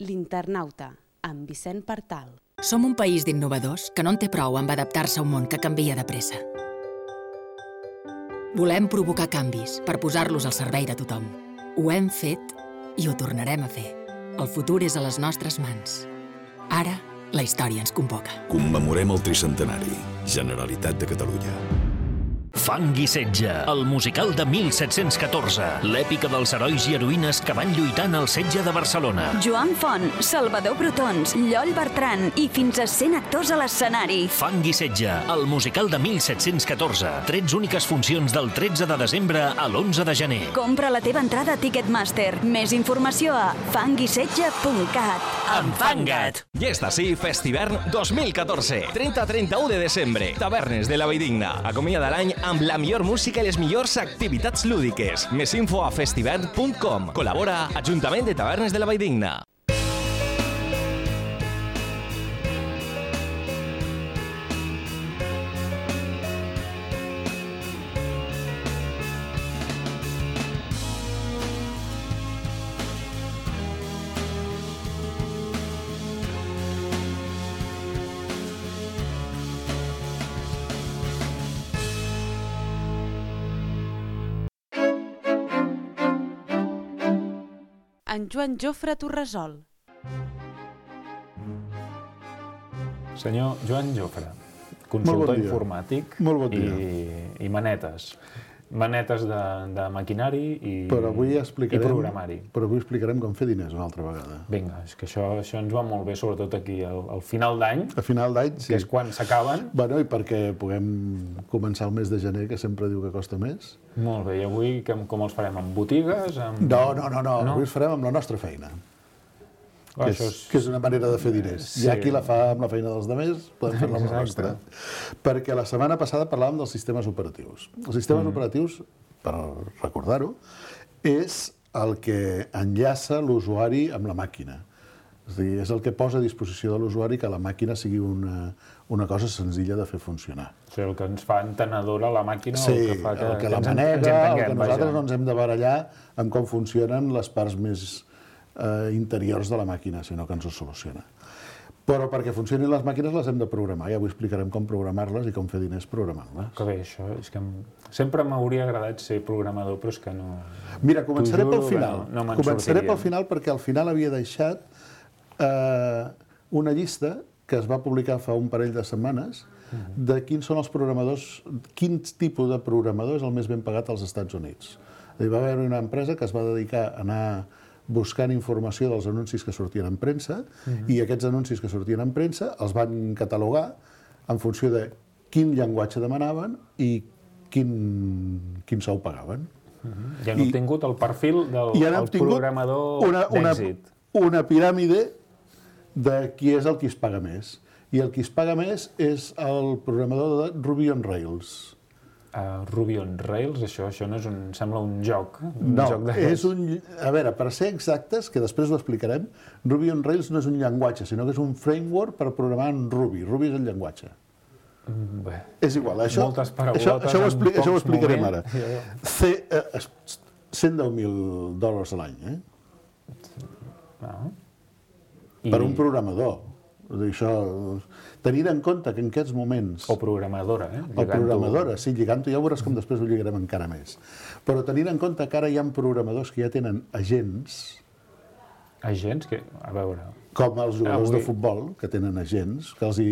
L'Internauta, amb Vicent Partal. Som un país d'innovadors que no en té prou amb adaptar-se a un món que canvia de pressa. Volem provocar canvis per posar-los al servei de tothom. Ho hem fet i ho tornarem a fer. El futur és a les nostres mans. Ara, la història ens convoca. Commemorem el tricentenari. Generalitat de Catalunya. Fang i setge, el musical de mil set-cents catorze, l'èpica dels herois i heroïnes que van lluitar en el setge de Barcelona. Joan Font, Salvador Brotons, Lloll Bertran i fins a cent actors a l'escenari. Fang i setge, el musical de mil set-cents catorze. Trets úniques funcions del tretze de desembre a l'onze de gener. Compra la teva entrada a Ticketmaster. Més informació a fang i setge punt cat. Enfanga't! Ja està així Festivern dos mil catorze. trenta a trenta-u de desembre. Tavernes de la Valldigna. Acomiada l'any amb la millor música i les millors activitats lúdiques. Més info a festivern punt com. Col·labora Ajuntament de Tavernes de la Valldigna. En Joan Jofre Torresol. Senyor Joan Jofre, consultor informàtic i manetes. Manetes de maquinari i programari. Però avui explicarem com fer diners una altra vegada. Vinga, és que això ens va molt bé, sobretot aquí al final d'any. A final d'any, sí. Que és quan s'acaben. Bueno, i perquè puguem començar el mes de gener, que sempre diu que costa més. Molt bé, i avui com els farem? Amb botigues? No, no, no, avui els farem amb la nostra feina. Que és una manera de fer diners. Hi ha qui la fa amb la feina dels altres, podem fer-la amb la nostra. Perquè la setmana passada parlàvem dels sistemes operatius. Els sistemes operatius, per recordar-ho, és el que enllaça l'usuari amb la màquina. És a dir, és el que posa a disposició de l'usuari que la màquina sigui una, una cosa senzilla de fer funcionar. O sigui, el que ens fa entenedora la màquina, sí, el que fa que, el que que la ens, manega, ens entenguem, el que nosaltres vaja. no ens hem de barallar amb com funcionen les parts més eh, interiors de la màquina, sinó que ens ho soluciona. Però perquè funcionin les màquines les hem de programar, i avui explicarem com programar-les i com fer diners programant-les. Que bé, això, és que sempre m'hauria agradat ser programador, però és que no... Mira, començaré pel juro, final. No, no començaré pel final perquè al final havia deixat eh, una llista que es va publicar fa un parell de setmanes uh-huh. de quins són els programadors, quins tipus de programador és el més ben pagat als Estats Units. Hi va haver una empresa que es va dedicar a anar buscant informació dels anuncis que sortien en premsa uh-huh. i aquests anuncis que sortien en premsa els van catalogar en funció de quin llenguatge demanaven i quin, quin sou pagaven. Uh-huh. I han obtingut el perfil del el programador una, una, d'èxit. Una piràmide de qui és el qui es paga més. I el qui es paga més és el programador de Ruby on Rails. Uh, Ruby on Rails, això, això no és un... sembla un joc. Un no, joc és un... A veure, per ser exactes, que després ho explicarem, Ruby on Rails no és un llenguatge, sinó que és un framework per programar en Ruby. Ruby és el llenguatge. Bé, és igual, això, moltes paraulotes això, això, ho, expli això ho explicarem moment. ara. C, eh, cent deu mil dòlars a l'any, eh? Ah. I... Per un programador. Això, tenint en compte que en aquests moments... O programadora, eh? O programadora, sí, lligant-ho, ja veuràs com després ho lligarem encara més. Però tenint en compte que ara hi ha programadors que ja tenen agents... Agents? Que, a veure... Com els jugadors avui... de futbol, que tenen agents, que els hi,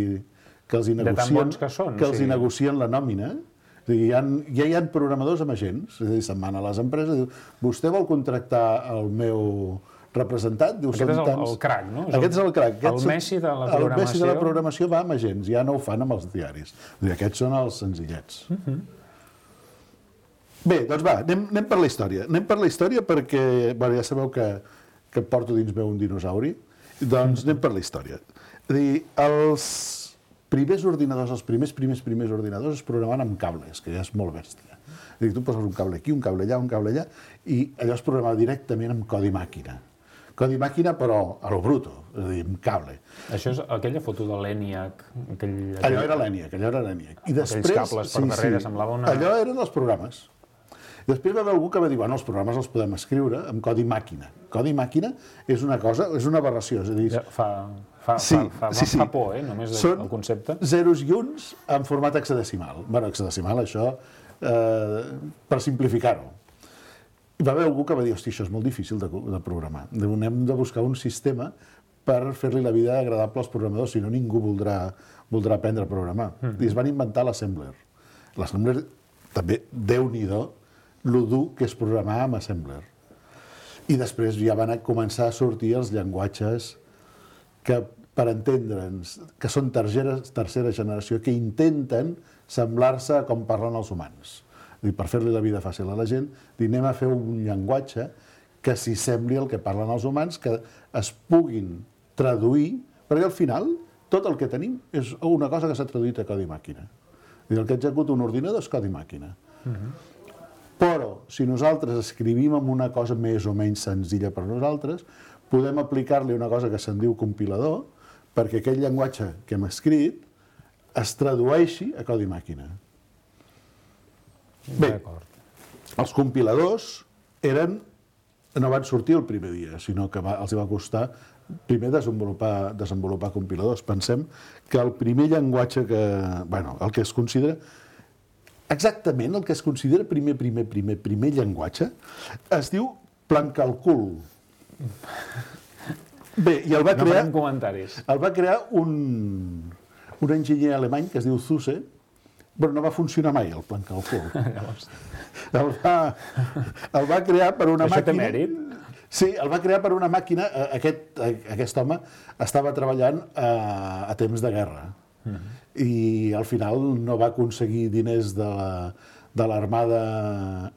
que els hi negocien... De tan bons que són. Que els sí. hi negocien la nòmina. És dir, hi ha, ja hi ha programadors amb agents. És a dir, se'n van a les empreses i diu, vostè vol contractar el meu... representat, diu, aquest és el, el crac, no? Aquest és el crac. El Messi de la programació. El Messi de la programació va amb agents, ja no ho fan amb els diaris. Dir, aquests són els senzillets. Uh-huh. Bé, doncs va, anem, anem per la història. Anem per la història perquè, bueno, ja sabeu que, que porto dins meu un dinosauri, doncs anem per la història. És a dir, els primers ordinadors, els primers, primers, primers ordinadors es programaven amb cables, que ja és molt bèstia. És a dir, tu poses un cable aquí, un cable allà, un cable allà, i allò es programava directament amb codi màquina. Codi màquina, però a lo bruto, és a dir, amb cable. Això és aquella foto de l'ENIAC. Aquell, aquell... Allò era l'ENIAC, allò era l'ENIAC. I després, aquells cables per sí, darrere, sí, semblava una... Allò eren els programes. Després va haver algú que va dir, bueno, els programes els podem escriure amb codi màquina. Codi màquina és una cosa, és una aberració. És a dir... Ja, fa, fa, sí, fa, fa, sí, sí. fa por, eh, només Són el concepte. Zeros i uns en format hexadecimal. Bueno, hexadecimal, això, eh, per simplificar-ho. I va haver algú que va dir, hosti, això és molt difícil de, de programar. Hem de buscar un sistema per fer-li la vida agradable als programadors, si no ningú voldrà, voldrà aprendre a programar. Mm. I es van inventar l'Assembler. L'Assembler, també, déu-n'hi-do, lo dur que és programar amb Assembler. I després ja van començar a sortir els llenguatges que, per entendre'ns, que són tercera, tercera generació, que intenten semblar-se a com parlen els humans. I per fer-li la vida fàcil a la gent, dir, anem a fer un llenguatge que s'hi sembli el que parlen els humans, que es puguin traduir, perquè al final tot el que tenim és una cosa que s'ha traduït a codi màquina. I el que executa un ordinador és codi màquina. Uh-huh. Però, si nosaltres escrivim amb una cosa més o menys senzilla per nosaltres, podem aplicar-li una cosa que se'n diu compilador, perquè aquell llenguatge que hem escrit es tradueixi a codi màquina. Bé, els compiladors eren, no van sortir el primer dia, sinó que va, els va costar primer desenvolupar, desenvolupar compiladors. Pensem que el primer llenguatge que... Bueno, el que es considera... Exactament el que es considera primer, primer, primer, primer llenguatge es diu Plancalcul. Bé, i el va crear... No farem comentaris. El va crear un, un enginyer alemany que es diu Zuse, però no va funcionar mai, el Plancalcul. el, va, el va crear per una Això màquina... té mèrit? Sí, el va crear per una màquina... Aquest, aquest home estava treballant a, a temps de guerra. Uh-huh. I al final no va aconseguir diners de la, de l'Armada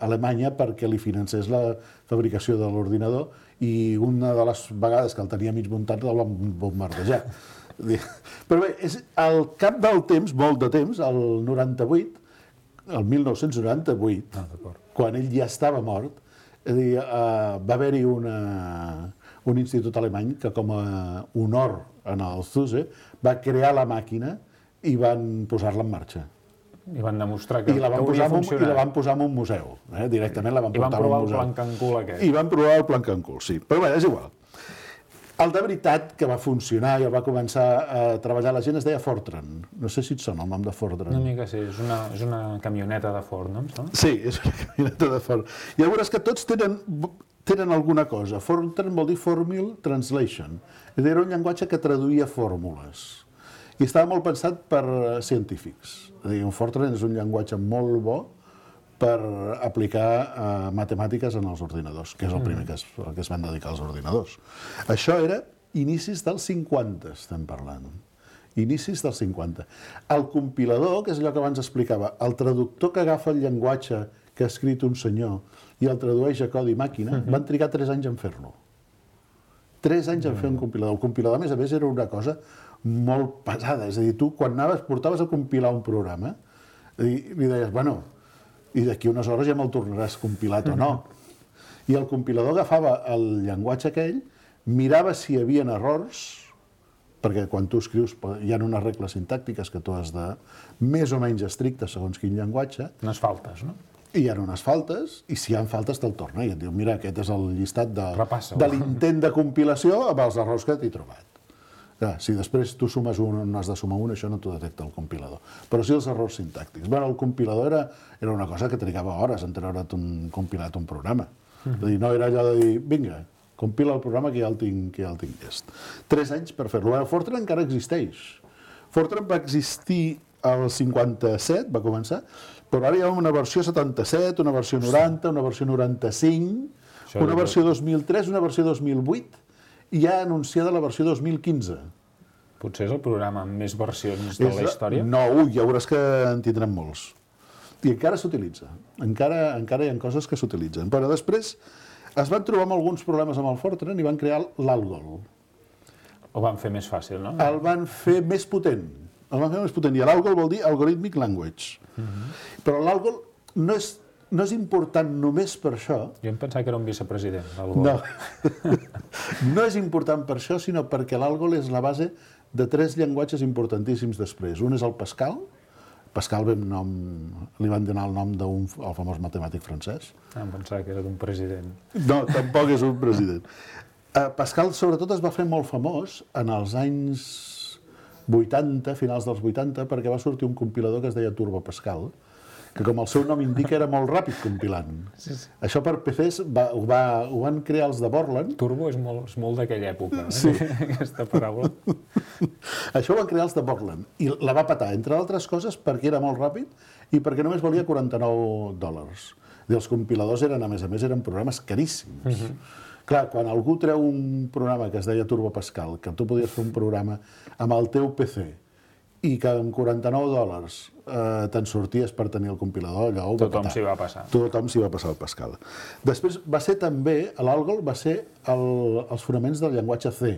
Alemanya perquè li financés la fabricació de l'ordinador i una de les vegades que el tenia mig muntat el van bombardejar. Però bé, és al cap del temps, molt de temps, el noranta-vuit, el mil nou-cents noranta-vuit, ah, quan ell ja estava mort, és a dir, uh, va haver-hi una, un institut alemany que com a honor en el Zuse va crear la màquina i van posar-la en marxa. I van demostrar que, I la van que posar hauria funcionat. I la van posar en un museu. Eh? Directament la van I van portar a un provar el museu. Planck-and-Cool aquest. I van provar el Planck-and-Cool, sí. Però bé, és igual. El de veritat que va funcionar i el va començar a treballar la gent es deia Fortran. No sé si et sona el nom de Fortran. Una mica sí, és una, és una camioneta de Ford, no? Sí, és una camioneta de Ford. I veuràs que tots tenen, tenen alguna cosa. Fortran vol dir Formula Translation. Era un llenguatge que traduïa fórmules. I estava molt pensat per científics. És a dir, un Fortran és un llenguatge molt bo per aplicar uh, matemàtiques en els ordinadors, que és el primer que es, que es van dedicar als ordinadors. Això era inicis dels cinquanta, estem parlant. Inicis dels cinquanta. El compilador, que és allò que abans explicava, el traductor que agafa el llenguatge que ha escrit un senyor i el tradueix a codi màquina, uh-huh. van trigar tres anys en fer-lo. Tres anys en fer un compilador. El compilador, a més a més, era una cosa molt pesada. És a dir, tu, quan anaves, portaves a compilar un programa, i li deies, bueno, i d'aquí unes hores ja me'l tornaràs compilat o no. I el compilador agafava el llenguatge aquell, mirava si hi havia errors, perquè quan tu escrius hi ha unes regles sintàctiques que tu has de més o menys estrictes segons quin llenguatge. Unes faltes, no? I hi ha unes faltes, i si hi ha faltes te'l torna i et diu, mira, aquest és el llistat de, Repassa-ho. de l'intent de compilació amb els errors que t'he trobat. Clar, si després tu sumes un, no has de sumar un, això no t'ho detecta el compilador. Però sí els errors sintàctics. Bueno, el compilador era, era una cosa que trigava hores en treure't un compilat un programa. Mm. És a dir, no era allò de dir, vinga, compila el programa que ja el tinc, que ja el tinc llest. Tres anys per fer-lo. El Fortran encara existeix. Fortran va existir al cinquanta-set, va començar, però ara hi ha una versió setanta-set, una versió noranta, una versió noranta-cinc, això una versió dos mil tres, una versió dos mil vuit, i ja ha anunciada la versió dos mil quinze. Potser és el programa amb més versions de la història? No, ui, ja veuràs que en tindrem molts. I encara s'utilitza. Encara, encara hi ha coses que s'utilitzen. Però després es van trobar amb alguns problemes amb el Fortran i van crear l'Algol. Ho van fer més fàcil, no? El van fer més potent. El van fer més potent. I l'Algol vol dir Algorithmic Language. Uh-huh. Però l'Algol no és no és important només per això. Jo em pensava que era un vicepresident. Algol. No. No és important per això, sinó perquè l'Algol és la base de tres llenguatges importantíssims després. Un és el Pascal. Pascal ve nom, li van donar el nom del famós matemàtic francès. Ah, em pensava que era d'un president. No, tampoc és un president. Uh, Pascal, sobretot, es va fer molt famós en els anys vuitanta, finals dels vuitanta, perquè va sortir un compilador que es deia Turbo Pascal, que com el seu nom indica era molt ràpid compilant. Sí, sí. Això per P Cs va, ho, va, ho van crear els de Borland. Turbo és molt, és molt d'aquella època, eh? Sí. Aquesta paraula. Això ho van crear els de Borland i la va patar, entre altres coses, perquè era molt ràpid i perquè només valia quaranta-nou dòlars. I els compiladors eren, a més a més, eren programes caríssims. Uh-huh. Clar, quan algú treu un programa que es deia Turbo Pascal, que tu podies fer un programa amb el teu P C i que amb quaranta-nou dòlars eh, te'n sorties per tenir el compilador, allò ho va Tothom patar. s'hi va passar. Tothom s'hi va passar el Pascal. Després va ser també, l'Algol va ser el, els fonaments del llenguatge C.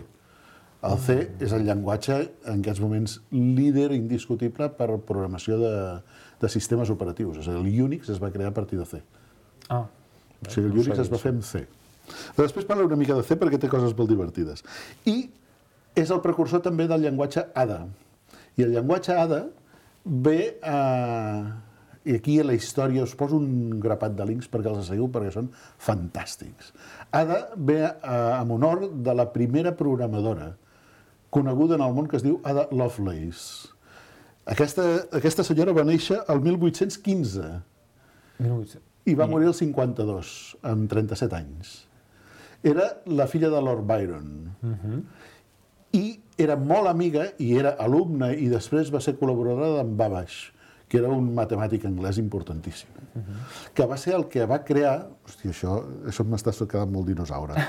El C és el llenguatge, en aquests moments, líder indiscutible per programació de, de sistemes operatius. És a dir, el Unix es va crear a partir de C. Ah, o sigui, el Unix es va fer amb C. Però després parla una mica de C perquè té coses molt divertides. I és el precursor també del llenguatge A D A. I el llenguatge A D A ve a... I aquí a la història us poso un grapat de links perquè els seguiu, perquè són fantàstics. A D A ve a, en honor de la primera programadora coneguda en el món que es diu Ada Lovelace. Aquesta, aquesta senyora va néixer el mil vuit-cents quinze i va morir el cinquanta-dos, amb trenta-set anys. Era la filla de Lord Byron. Uh-huh. I era molt amiga, i era alumna, i després va ser col·laboradora d'en Babbage, que era un matemàtic anglès importantíssim, uh-huh. que va ser el que va crear... Hòstia, això, això m'està quedant molt dinosaure.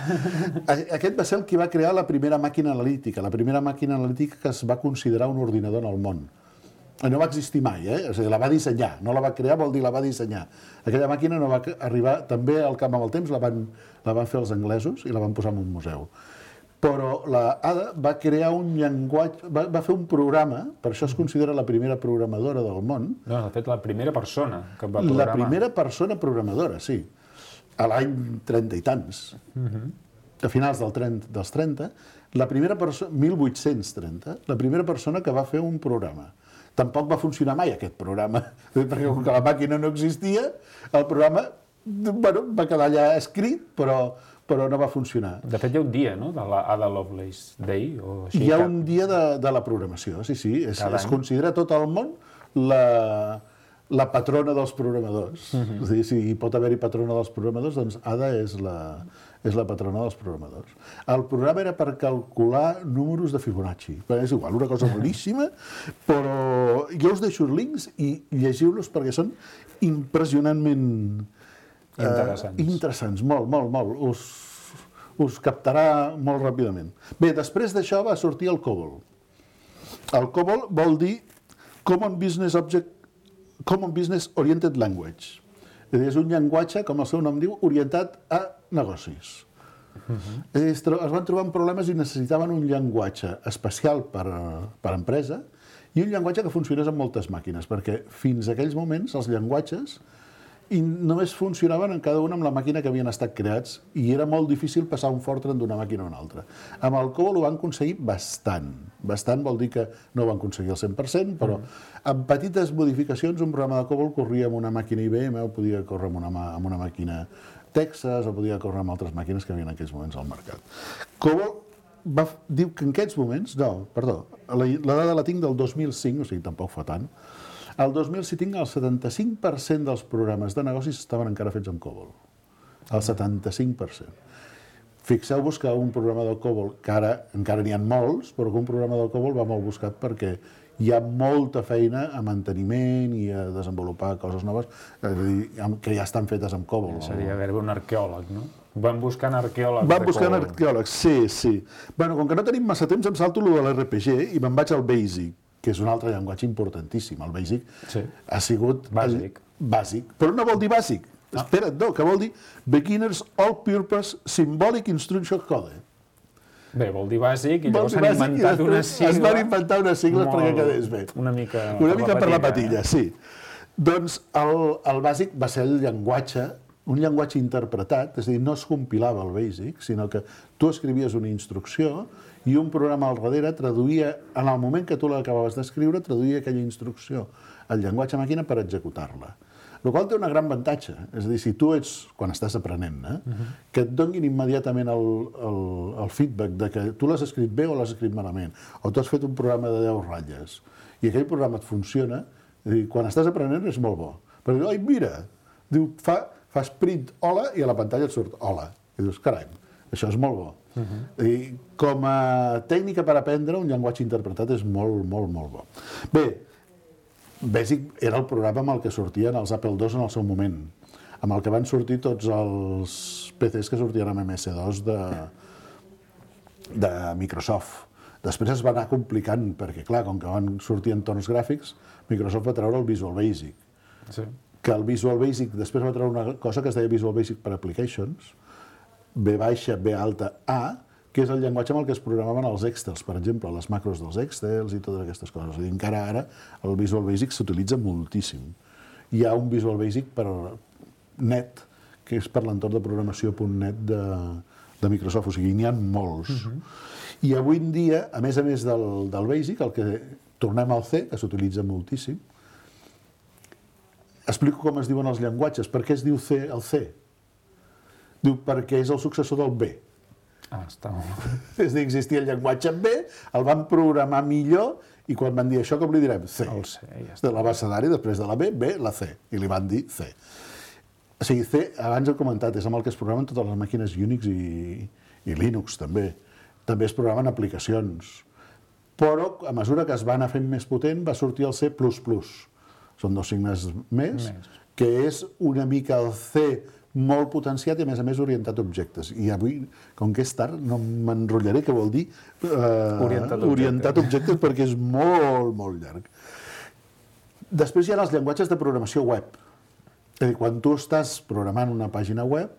Aquest va ser el que va crear la primera màquina analítica, la primera màquina analítica que es va considerar un ordinador en el món. No va existir mai, eh? O sigui, la va dissenyar, no la va crear, vol dir la va dissenyar. Aquella màquina no va arribar també al camp amb el temps, la van, la van fer els anglesos i la van posar en un museu. Però la Ada va crear un llenguatge, va, va fer un programa, per això es considera la primera programadora del món. No, de fet, la primera persona que va programar. La primera persona programadora, sí. A l'any trenta i tants. Uh-huh. a finals dels trenta, la primera persona, mil vuit-cents trenta, la primera persona que va fer un programa. Tampoc va funcionar mai aquest programa, perquè com que la màquina no existia, el programa bueno, va quedar allà escrit, però, però no va funcionar. De fet, hi ha un dia, no?, de la Ada Lovelace Day, o així. Hi ha un dia de, de la programació, sí, sí. Es, es considera tot el món la, la patrona dels programadors. Uh-huh. És a dir, si hi pot haver-hi patrona dels programadors, doncs Ada és la, és la patrona dels programadors. El programa era per calcular números de Fibonacci. És igual, una cosa boníssima, però jo us deixo els links i llegiu-los perquè són impressionantment interessants. Eh, interessants, molt, molt, molt. Us, us captarà molt ràpidament. Bé, després d'això va sortir el COBOL. El COBOL vol dir Common Business Object, Common Business Oriented Language. És a dir, és un llenguatge, com el seu nom diu, orientat a negocis. Uh-huh. És a dir, es van trobar problemes i necessitaven un llenguatge especial per, per empresa i un llenguatge que funcionés amb moltes màquines, perquè fins a aquells moments els llenguatges i només funcionaven en cada una amb la màquina que havien estat creats i era molt difícil passar un Fortran d'una màquina a una altra. Amb el COBOL ho van aconseguir bastant. Bastant vol dir que no ho van aconseguir al cent per cent, però amb petites modificacions un programa de COBOL corria amb una màquina I B M o podia córrer amb una, amb una màquina Texas o podia córrer amb altres màquines que havia en aquells moments al mercat. COBOL va, diu que en aquests moments, no, perdó, la, la dada la tinc del dos mil cinc, o sigui, tampoc fa tant. El dos mil cinc el setanta-cinc per cent dels programes de negocis estaven encara fets amb COBOL. El setanta-cinc per cent. Fixeu-vos que un programa del COBOL, que ara encara n'hi ha molts, però que un programa del COBOL va molt buscat perquè hi ha molta feina a manteniment i a desenvolupar coses noves que ja estan fetes amb COBOL. Seria gairebé un arqueòleg, no? Van buscant arqueòlegs. Van buscant arqueòlegs, sí, sí. Bueno, com que no tenim massa temps, em salto lo de l'R P G i me'n vaig al BASIC, que és un altre llenguatge importantíssim. El BASIC sí. ha sigut... Bàsic. Bàsic. Però no vol dir bàsic. No. Espera't, no, que vol dir Beginner's All-Purpose Symbolic Instruction Code. Bé, vol dir bàsic i llavors s'han inventat unes sigles... Es van inventar unes sigles perquè quedés bé. Una mica... Una mica per la patilla, sí. Doncs el, el bàsic va ser el llenguatge, un llenguatge interpretat, és a dir, no es compilava el BASIC, sinó que tu escrivies una instrucció i un programa al darrere traduïa, en el moment que tu l'acabaves d'escriure, traduïa aquella instrucció al llenguatge màquina per executar-la. El qual té un gran avantatge. És a dir, si tu ets, quan estàs aprenent, eh, uh-huh. que et donin immediatament el, el, el feedback de que tu l'has escrit bé o l'has escrit malament, o tu has fet un programa de deu ratlles, i aquell programa et funciona, és dir, quan estàs aprenent és molt bo. Perquè, oi, mira, diu, fa, fas print hola i a la pantalla et surt hola. I dius, carai, això és molt bo. Uh-huh. I com a tècnica per aprendre, un llenguatge interpretat és molt, molt, molt bo. Bé, BASIC era el programa amb el que sortien els Apple dos en el seu moment, amb el que van sortir tots els P Cs que sortien amb M S dos de, de Microsoft. Després es va anar complicant, perquè clar, com que van sortir entorns gràfics, Microsoft va treure el Visual Basic. Sí. Que el Visual Basic després va treure una cosa que es deia Visual Basic per Applications, B baixa, B alta, A, que és el llenguatge amb el que es programaven els Excels, per exemple, les macros dels Excels i totes aquestes coses. És a dir, encara ara el Visual Basic s'utilitza moltíssim. Hi ha un Visual Basic per net, que és per l'entorn de programació .net de, de Microsoft, o sigui, n'hi ha molts. Uh-huh. I avui en dia, a més a més del, del Basic, el que tornem al C, que s'utilitza moltíssim, explico com es diuen els llenguatges. Per què es diu C el C? Diu perquè és el successor del B. Ah, està molt. És a dir, existia el llenguatge en B, el van programar millor i quan van dir això, com li direm? C. El C, ja està. De l'abecedari, després de la B, B, la C. I li van dir C. O sigui, C, abans he comentat, és amb el que es programen totes les màquines Unix i, i Linux, també. També es programen aplicacions. Però, a mesura que es va anar fent més potent, va sortir el C plus plus. Són dos signes més, més, que és una mica el C molt potenciat i, a més a més, orientat a objectes. I avui, com que és tard, no m'enrotllaré, que vol dir eh, orientat, orientat a objectes, perquè és molt, molt llarg. Després hi ha els llenguatges de programació web. És a dir, quan tu estàs programant una pàgina web,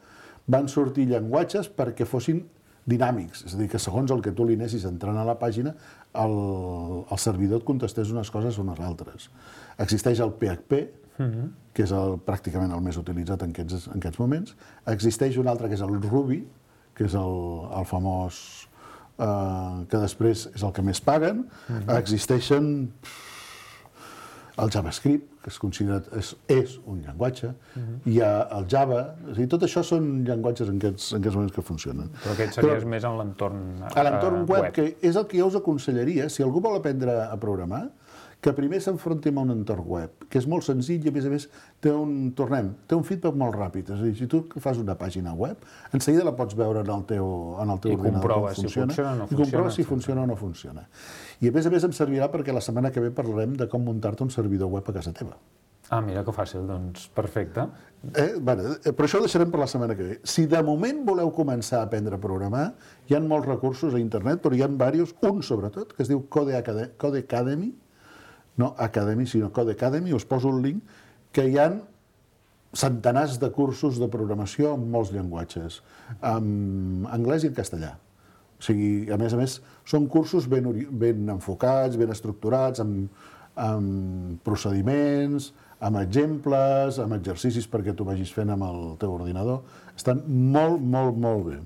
van sortir llenguatges perquè fossin dinàmics. És a dir, que segons el que tu li anessis entrant a la pàgina, el, el servidor et contestés unes coses o unes altres. Existeix el P H P, uh-huh. que és el, pràcticament el més utilitzat en aquests, en aquests moments. Existeix un altre que és el Ruby, que és el, el famós eh, que després és el que més paguen. Mm-hmm. Existeixen el JavaScript, que és considerat és, és un llenguatge, mm-hmm. hi ha el Java, és a dir, tot això són llenguatges en aquests, en aquests moments que funcionen. Però aquest series Però, més en l'entorn uh, a l'entorn web, web, que és el que jo us aconsellaria, si algú vol aprendre a programar, que primer s'enfronti amb un entorn web, que és molt senzill i, a més a més, té un, tornem, té un feedback molt ràpid. És a dir, si tu fas una pàgina web, en seguida la pots veure en el teu, en el teu I ordinador. Si funciona, o no I comprova si funciona o no funciona. I, a més a més, em servirà perquè la setmana que ve parlarem de com muntar-te un servidor web a casa teva. Ah, mira que fàcil, doncs perfecte. Eh, bueno, però això ho deixarem per la setmana que ve. Si de moment voleu començar a aprendre a programar, hi ha molts recursos a internet, però hi ha diversos, un sobretot, que es diu Codecademy, no Academy, sinó Codecademy, us poso un link, que hi ha centenars de cursos de programació en molts llenguatges, en anglès i en castellà. O sigui, a més a més, són cursos ben, ben enfocats, ben estructurats, amb, amb procediments, amb exemples, amb exercicis perquè tu vagis fent amb el teu ordinador. Estan molt, molt, molt bé.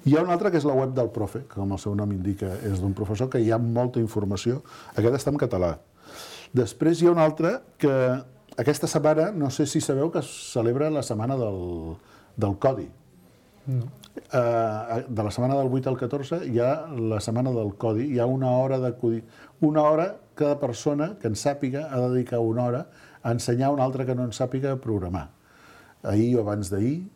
Hi ha un altre que és la web del profe, que com el seu nom indica és d'un professor, que hi ha molta informació. Aquest està en català. Després hi ha un altre que aquesta setmana, no sé si sabeu que es celebra la setmana del, del codi. No. Uh, de la setmana del vuit al catorze hi ha la setmana del codi, hi ha una hora de codi. Una hora, cada persona que en sàpiga ha de dedicar una hora a ensenyar a un altre que no en sàpiga a programar. Ahir o abans d'ahir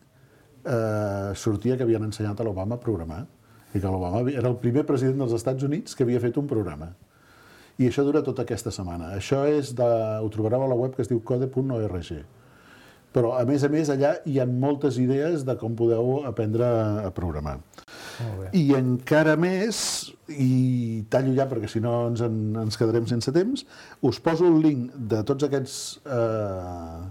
uh, sortia que havien ensenyat a l'Obama a programar i que l'Obama era el primer president dels Estats Units que havia fet un programa. I això dura tota aquesta setmana. Això és de, ho trobareu a la web que es diu code punt org. Però, a més a més, allà hi ha moltes idees de com podeu aprendre a programar. I encara més, i tallo ja perquè si no ens, en, ens quedarem sense temps, us poso el link de tots aquests eh,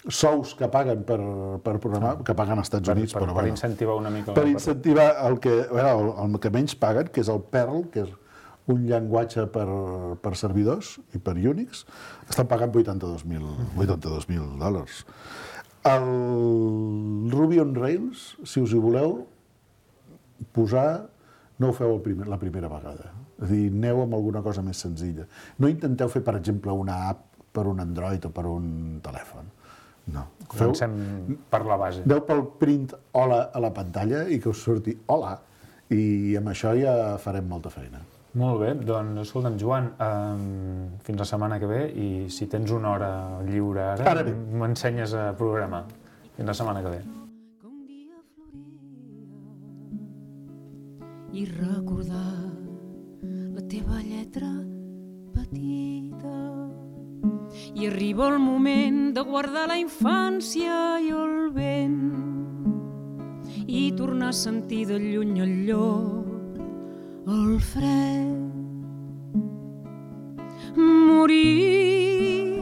sous que paguen per, per programar, que paguen als Estats Units. Per, per, però, per bueno, incentivar una mica. Per incentivar el que, bueno, el, el que menys paguen, que és el Perl, que és un llenguatge per, per servidors i per Unix, estan pagant vuitanta-dos mil dòlars. El Ruby on Rails, si us hi voleu posar, no ho feu el primer, la primera vegada. És a dir, aneu amb alguna cosa més senzilla. No intenteu fer, per exemple, una app per un Android o per un telèfon. No. Comencem per la base. Aneu pel print hola a la pantalla i que us surti hola, i amb això ja farem molta feina. Molt bé, doncs escolta'm, Joan, um, fins la setmana que ve, i si tens una hora lliure ara, ara m'ensenyes a programar. Fins la setmana que ve. I recordar la teva lletra petita, i arriba el moment de guardar la infància i el vent i tornar a sentir de lluny el llop, el fred, morir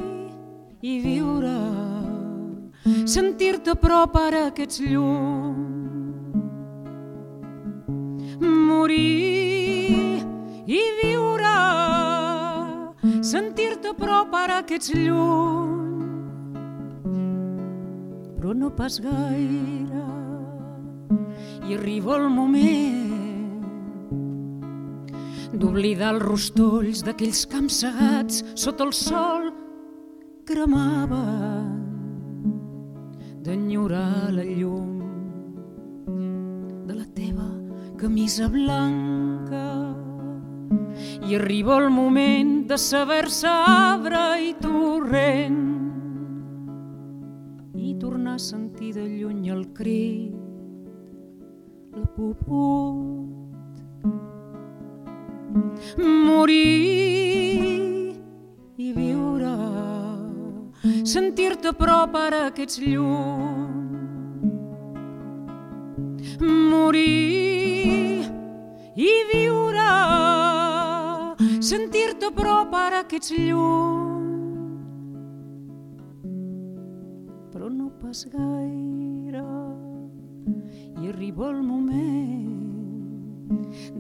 i viure, sentir-te a prop ara que ets llum, morir i viure, sentir-te a prop ara que ets lluny, però no pas gaire, i arriba el moment d'oblidar els rostolls d'aquells camps segats sota el sol cremaven, d'enyorar la llum de la teva camisa blanca, i arriba el moment de saber-se arbre i torrent i tornar a sentir de lluny el crit, la puput, morir i viure, sentir-te a prop ara que ets lluny, morir i viure, sentir-te a prop ara que ets lluny, però no pas gaire, i arriba el moment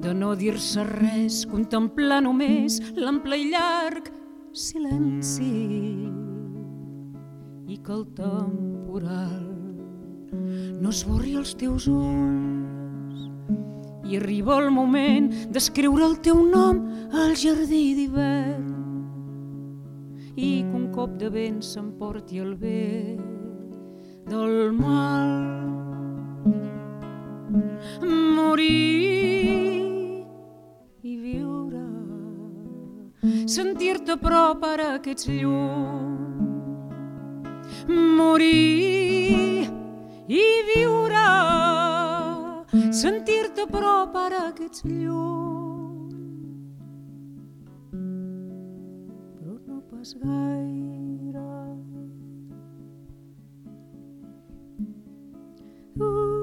de no dir-se res, contemplar només l'ample i llarg silenci, i que el temporal no esborri els teus ulls. I arriba el moment d'escriure el teu nom al jardí d'hivern i que un cop de vent s'emporti el bé del mal. Morir i viure, sentir-te a prop ara que ets lluny. Morir i viure, sentir-te a prop ara que ets lluny. Però no pas gaire. Uh. Ooh.